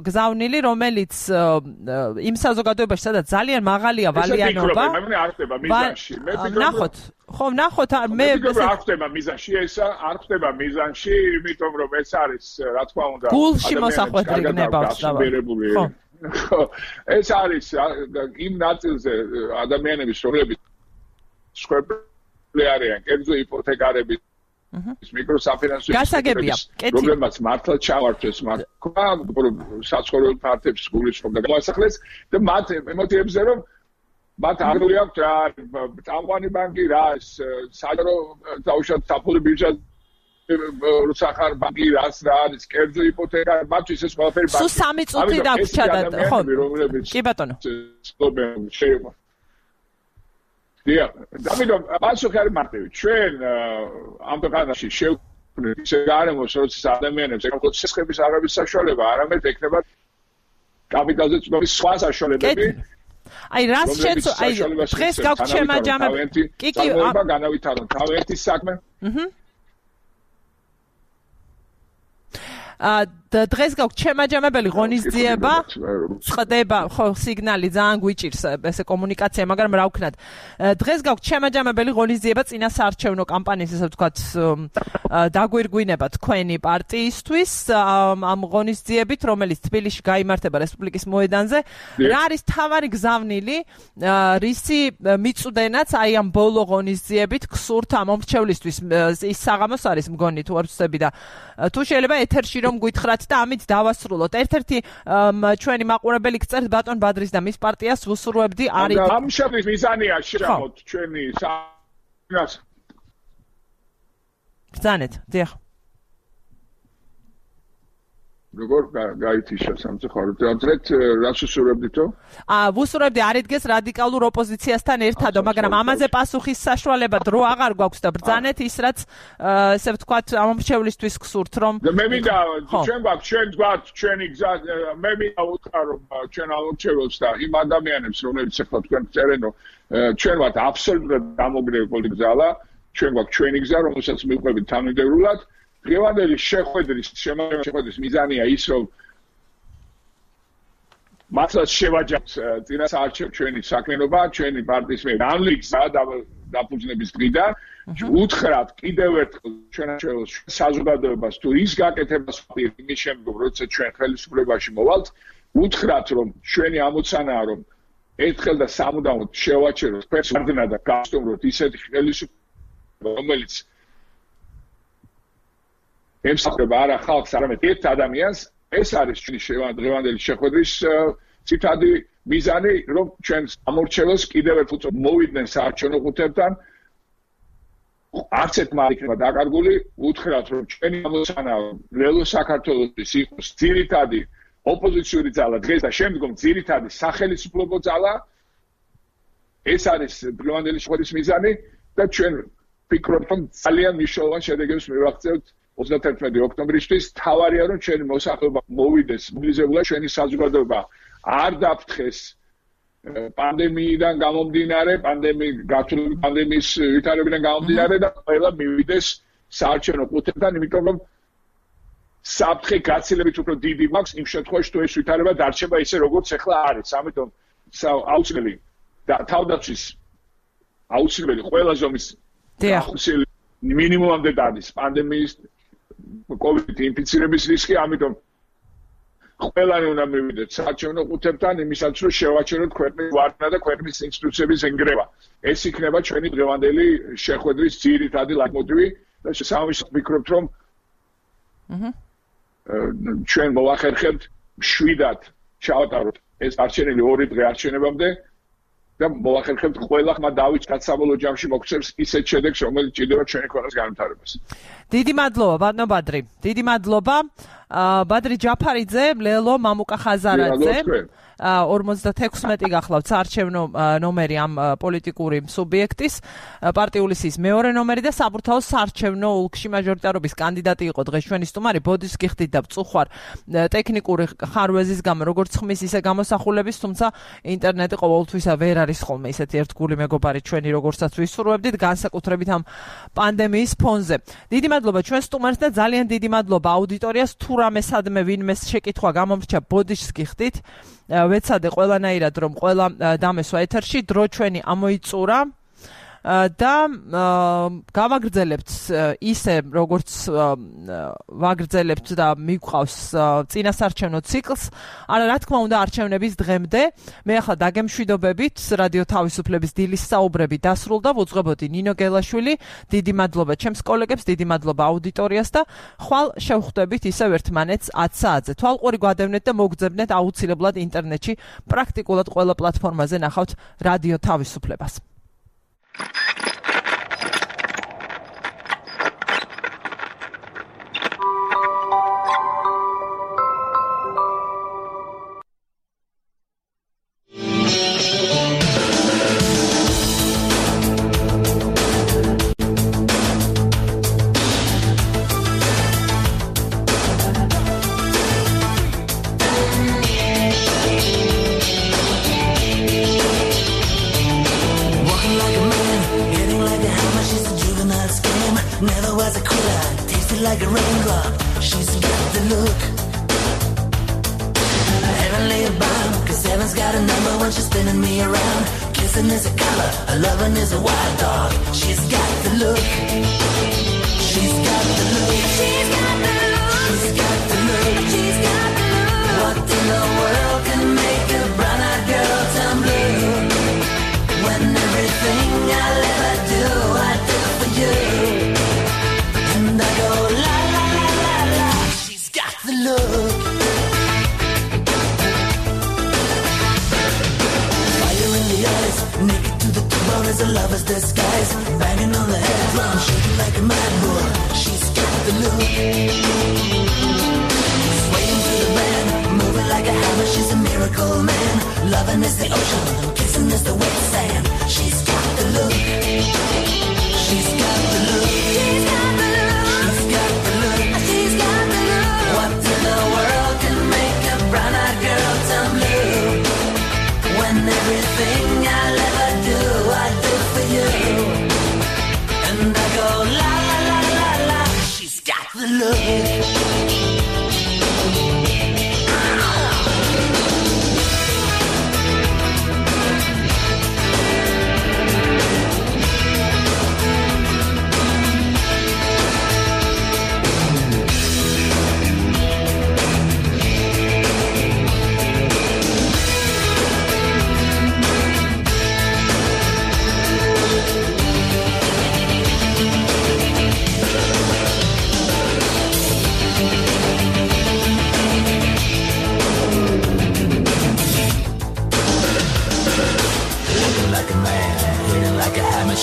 გზავნილი რომელიც იმ საზოგადოებაში სადაც ძალიან მაღალია ვალიანობა მე არ ხდება მიზანში მე ნახოთ ხო ნახოთ მე არ ხდება მიზანში ეს არ ხდება მიზანში იმიტომ რომ ეს არის რა თქმა უნდა გულში მოსახვედრი გნებავს ხო ეს არის იმ ნაწილზე ადამიანების რომლებიც სხვები არიან კერძო იპოთეკარები მიკროსაფინანსო პრობლემას მართლა ჩავარჩეს მაგრამ საცხოვრებელ ფართებს გულისხმობ და გამოსახლეს და მათ ემოციებზე რომ მათ არ გვაქვს რა წამყვანი ბანკი რა საჯარო დაუშვათ საფუძველი ბიუჯეტი რუსახარ ბანკი რას რა არის კერძო იპოთეკა მათთვის ეს ყველაფერი ბანკი სულ 3 წუთი დაგვრჩა და ხო კი ბატონო შეიძლება ამიტომ პასუხი არის მარტივი ჩვენ ამ ქვეყანაში შევქმნით ისე გარემოს როცა ადამიანებს ეკონომიკის სისხლების აღების საშუალება არამედ ექნება კაპიტალზე წვდომის სხვა საშუალებები აი რას შეცო აი დღეს გაქვთ შემაჯამებელი კი განავითაროთ თავიანთი საქმე დღეს გაქვთ შემაჯამებელი ღონისძიება ხდება ხო სიგნალი ძალიან გვიჭირს ესე კომუნიკაცია მაგრამ რა ვქნათ დღეს გაქვთ შემაჯამებელი ღონისძიება წინა საარჩევნო კამპანიის ესე ვთქვათ დაგვირგვინება თქვენი პარტიისთვის ამ ღონისძიებით რომელიც თბილისში გაიმართება რესპუბლიკის მოედანზე რა არის თავარი გზავნილი რისი მიწვდენაც აი ამ ბოლო ღონისძიებით გსურთ ამ მომრჩევლისთვის ის საღამოს არის მგონი თუ არ ვცდები და თუ შეიძლება ეთერში რომ გითხრათ და ამით დავასრულოთ. ერთ-ერთი ჩვენი მაყურებელი გწერთ ბატონ ბადრის და მის პარტიას ვუსურვებდი არის ამ შეფის მიზანია შეამოთ ჩვენი საგას. ბრძანეთ, დიახ. როგორ გაითიშა სამწუხაროდ ამწრეთ რას უსურვებდითო? ვუსურვებდი არიდგეს რადიკალურ ოპოზიციასთან ერთადო, მაგრამ ამაზე პასუხის საშუალება დრო აღარ გვაქვს და ბრძანეთ ის რაც ესე ვთქვათ ამომრჩევლისთვის გსურთ რომ მე მინდა ჩვენ გვაქვს ჩვენი გზა მე მინდა უთხრა რომ ჩვენ ამომრჩევლებს და იმ ადამიანებს რომლებიც ახლა თქვენ წერენო ჩვენ ვართ აბსოლუტურად დამოგრევი პოლიტიკური ძალა ჩვენ გვაქვს ჩვენი გზა რომელსაც მივყვებით თანმიმდევრულად დღევანდელი შეხვედრის მიზანია ის რომ მართლაც შევაჯამოთ წინა საარჩევნო ჩვენი საქმიანობა ჩვენი პარტიის მე განლიგზა დაფუძნების დღიდან უთხრათ კიდევ ერთხელ ჩვენს საზოგადოებას თუ ის გაკეთებას იმის შემდგომ როცა ჩვენ ხელისუფლებაში მოვალთ უთხრათ რომ ჩვენი ამოცანაა რომ ერთხელ და სამუდამოდ შევაჩეროთ პერსონაჟა და გავსტუმროთ ისეთი ხელისუფლება რომელიც ემსახურება არა ხალხს, არამედ ერთ ადამიანს, ეს არის ჩვენი დღევანდელი შეხვედრის ცითადი მიზანი, რომ ჩვენ ამორჩევლებს კიდევ ერთხელ მოვიდნენ საარჩევნო ყუთებთან. არც ერთმა იქნება დაკარგული, უთხრათ, რომ ჩვენი ამოცანაა ლელო საქართველოსთვის იყოს ძირითადი ოპოზიციური ძალა დღეს და შემდგომ ძირითადი სახელმწიფო ძალა. ეს არის დღევანდელი შეხვედრის მიზანი და ჩვენ ვფიქრობთ, რომ ძალიან მნიშვნელოვან შედეგებს მივაღწევთ 31 ოქტომბრისთვის თავარია რომ ჩვენი მოსახლეობა მოვიდეს მობილიზებულად ჩვენი საზოგადოება არ დაფრთხეს პანდემიიდან გამომდინარე პანდემიის ვითარებიდან გამომდინარე და ყველა მივიდეს საარჩევნო ყუთებთან იმიტომ რომ საფრთხე გაცილებით უფრო დიდი მაქვს იმ შემთხვევაში თუ ეს ვითარება დარჩება ისე როგორც ახლა არის ამიტომ აუცილებელი და თავდაცვის აუცილებელი ყველა ზომის ახსილი მინიმუმამდე დადის პანდემიის COVID ინფიცირების რისკი, ამიტომ ყველანი უნდა მივიდეთ საარჩევნო ყუთებთან იმისაც რომ შევაჩეროთ ქვეყნის ვარდნა და ქვეყნის ინსტიტუციების ენგრევა. ეს იქნება ჩვენი დღევანდელი შეხვედრის ძირითადი ლაიტმოტივი და შესაბამისად ვფიქრობთ რომ ჩვენ მოვახერხებთ მშვიდად ჩავატაროთ ეს არჩევნები 2 დღე არჩევნებამდე და მოვახერხებთ ყველა ხმა დავიწყოთ საბოლოო ჯამში მოგცემს ისეთ შედეგს რომელიც ჭირდება ჩვენი ქვეყნის განვითარებას. დიდი მადლობა ბატონო ბადრი. დიდი მადლობა ბადრი ჯაფარიძე, ლელო მამუკა ხაზარაძე. 56 გახლავთ საარჩევნო ნომერი ამ პოლიტიკური სუბიექტის პარტიული სიის მეორე ნომერი და საბურთალოს საარჩევნო ოლქში მაჟორიტარობის კანდიდატი იყო დღეს ჩვენი სტუმარი ბოდის გიხდით და წუხვარ ტექნიკური ხარვეზის გამო როგორც ხმის ისე გამოსახულების თუმცა ინტერნეტი ყოველთვის ვერ არის ხოლმე ისეთი ერთგული მეგობარი ჩვენი როგორცაც ვისურვებდით განსაკუთრებით ამ პანდემიის ფონზე. დიდი მადლობა ჩვენ სტუმარს და ძალიან დიდი მადლობა აუდიტორიას თუ რამე სადმე ვინმე შეკითხვა გამომრჩა ბოდიშს გიხდით ვეცადე ყველანაირად რომ ყველა დამესვა ეთერში დრო ჩვენი ამოიწურა და გავაგრძელებთ ისე როგორც ვაგრძელებთ და მიგვყავს წინასაარჩევნო ციკლს არა რა თქმა უნდა არჩევნების დღემდე მე ახლა დაგემშვიდობებით რადიო თავისუფლების დილის საუბრები დასრულდა ვუძღვებოდი ნინო გელაშვილი დიდი მადლობა ჩემს კოლეგებს დიდი მადლობა აუდიტორიას და ხვალ შევხვდებით ისევ ერთმანეთს 10 საათზე თვალყური გვადევნეთ და მოგძებნეთ აუცილებლად ინტერნეტში პრაქტიკულად ყველა პლატფორმაზე ნახავთ რადიო თავისუფლებას look. Heavenly bound, 'cause heaven's got a number when she's spinning me around. Kissing is a color, a loving is a wild dog. She's got the look. She's got the look. She's got the look. She's got the look. She's got the look. What in the world can make a brown-eyed girl turn blue? When everything I'll ever do, I do for you. And I go la la la la la. She's got the look. Fire in the eyes, naked to the bone as a lover's disguise. Banging on the head drum, shaking like a mad bull. She's got the look. Swaying through the band, moving like a hammer. She's a miracle man. Loving is the ocean, kissing is the wet sand. She's got the look. She's got the look. She's got the look. She's got the look. She's got the look. What in the world can make a brown-eyed girl turn blue? When everything I'll ever do, I do for you. And I go la la la la la. She's got the look.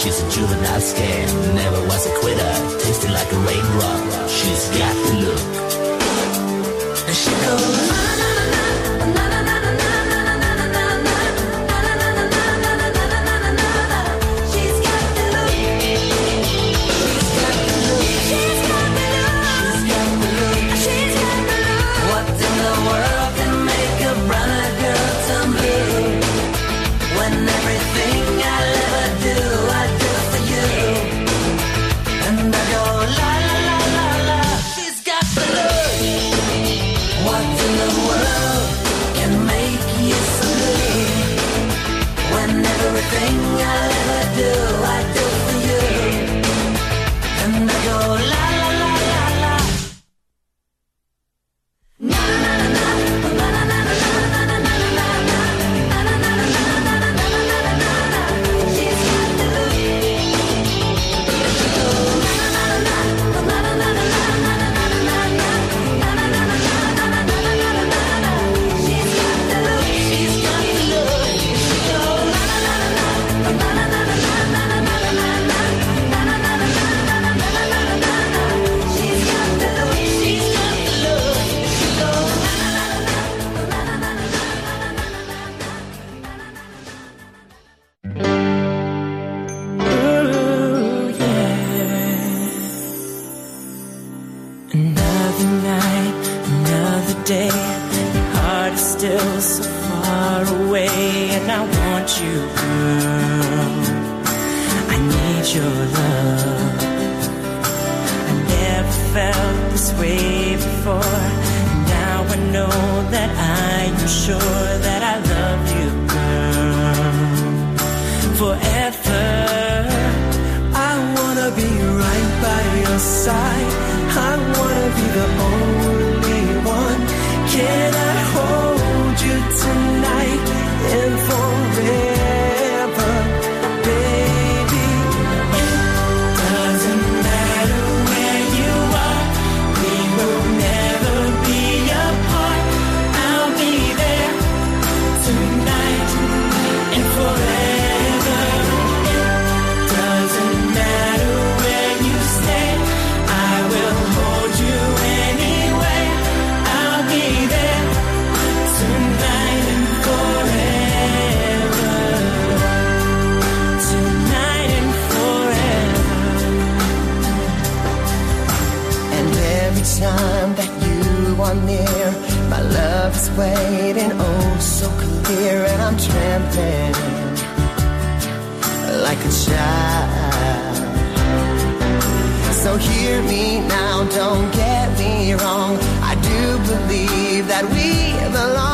She's a juvenile scam, never was a quitter, tasted like a raindrop. She's got the look. And she goes na na na na na na na na na na na na. She's got the look. She's got the look. She's got the look. She's got the look. What in the world can make a brown-eyed girl turn blue? When everything I'll ever do, I do for you. And I go la la la la la. She's got the look. What in the world can make you so blue? When everything I'll ever do, I do for you. And I go la la la la la. Na na na na na na na na na na na na. Another night, another day. Your heart is still so far away, and I want you, girl. I need your love. I never felt this way before. Now I know that I am sure that I love you, girl. Forever. I wanna be right by your side. I wanna be the only one. Can I hold you tonight and forever, baby? It doesn't matter where you are. We will never be apart. I'll be there tonight and forever. It doesn't matter where you stay. I will hold you anyway. I'll be there tonight and forever. Tonight and forever. And every time that you are near, my love is waiting, oh so clear. And I'm trembling like a child. So hear me now, don't get me wrong. I do that we belong.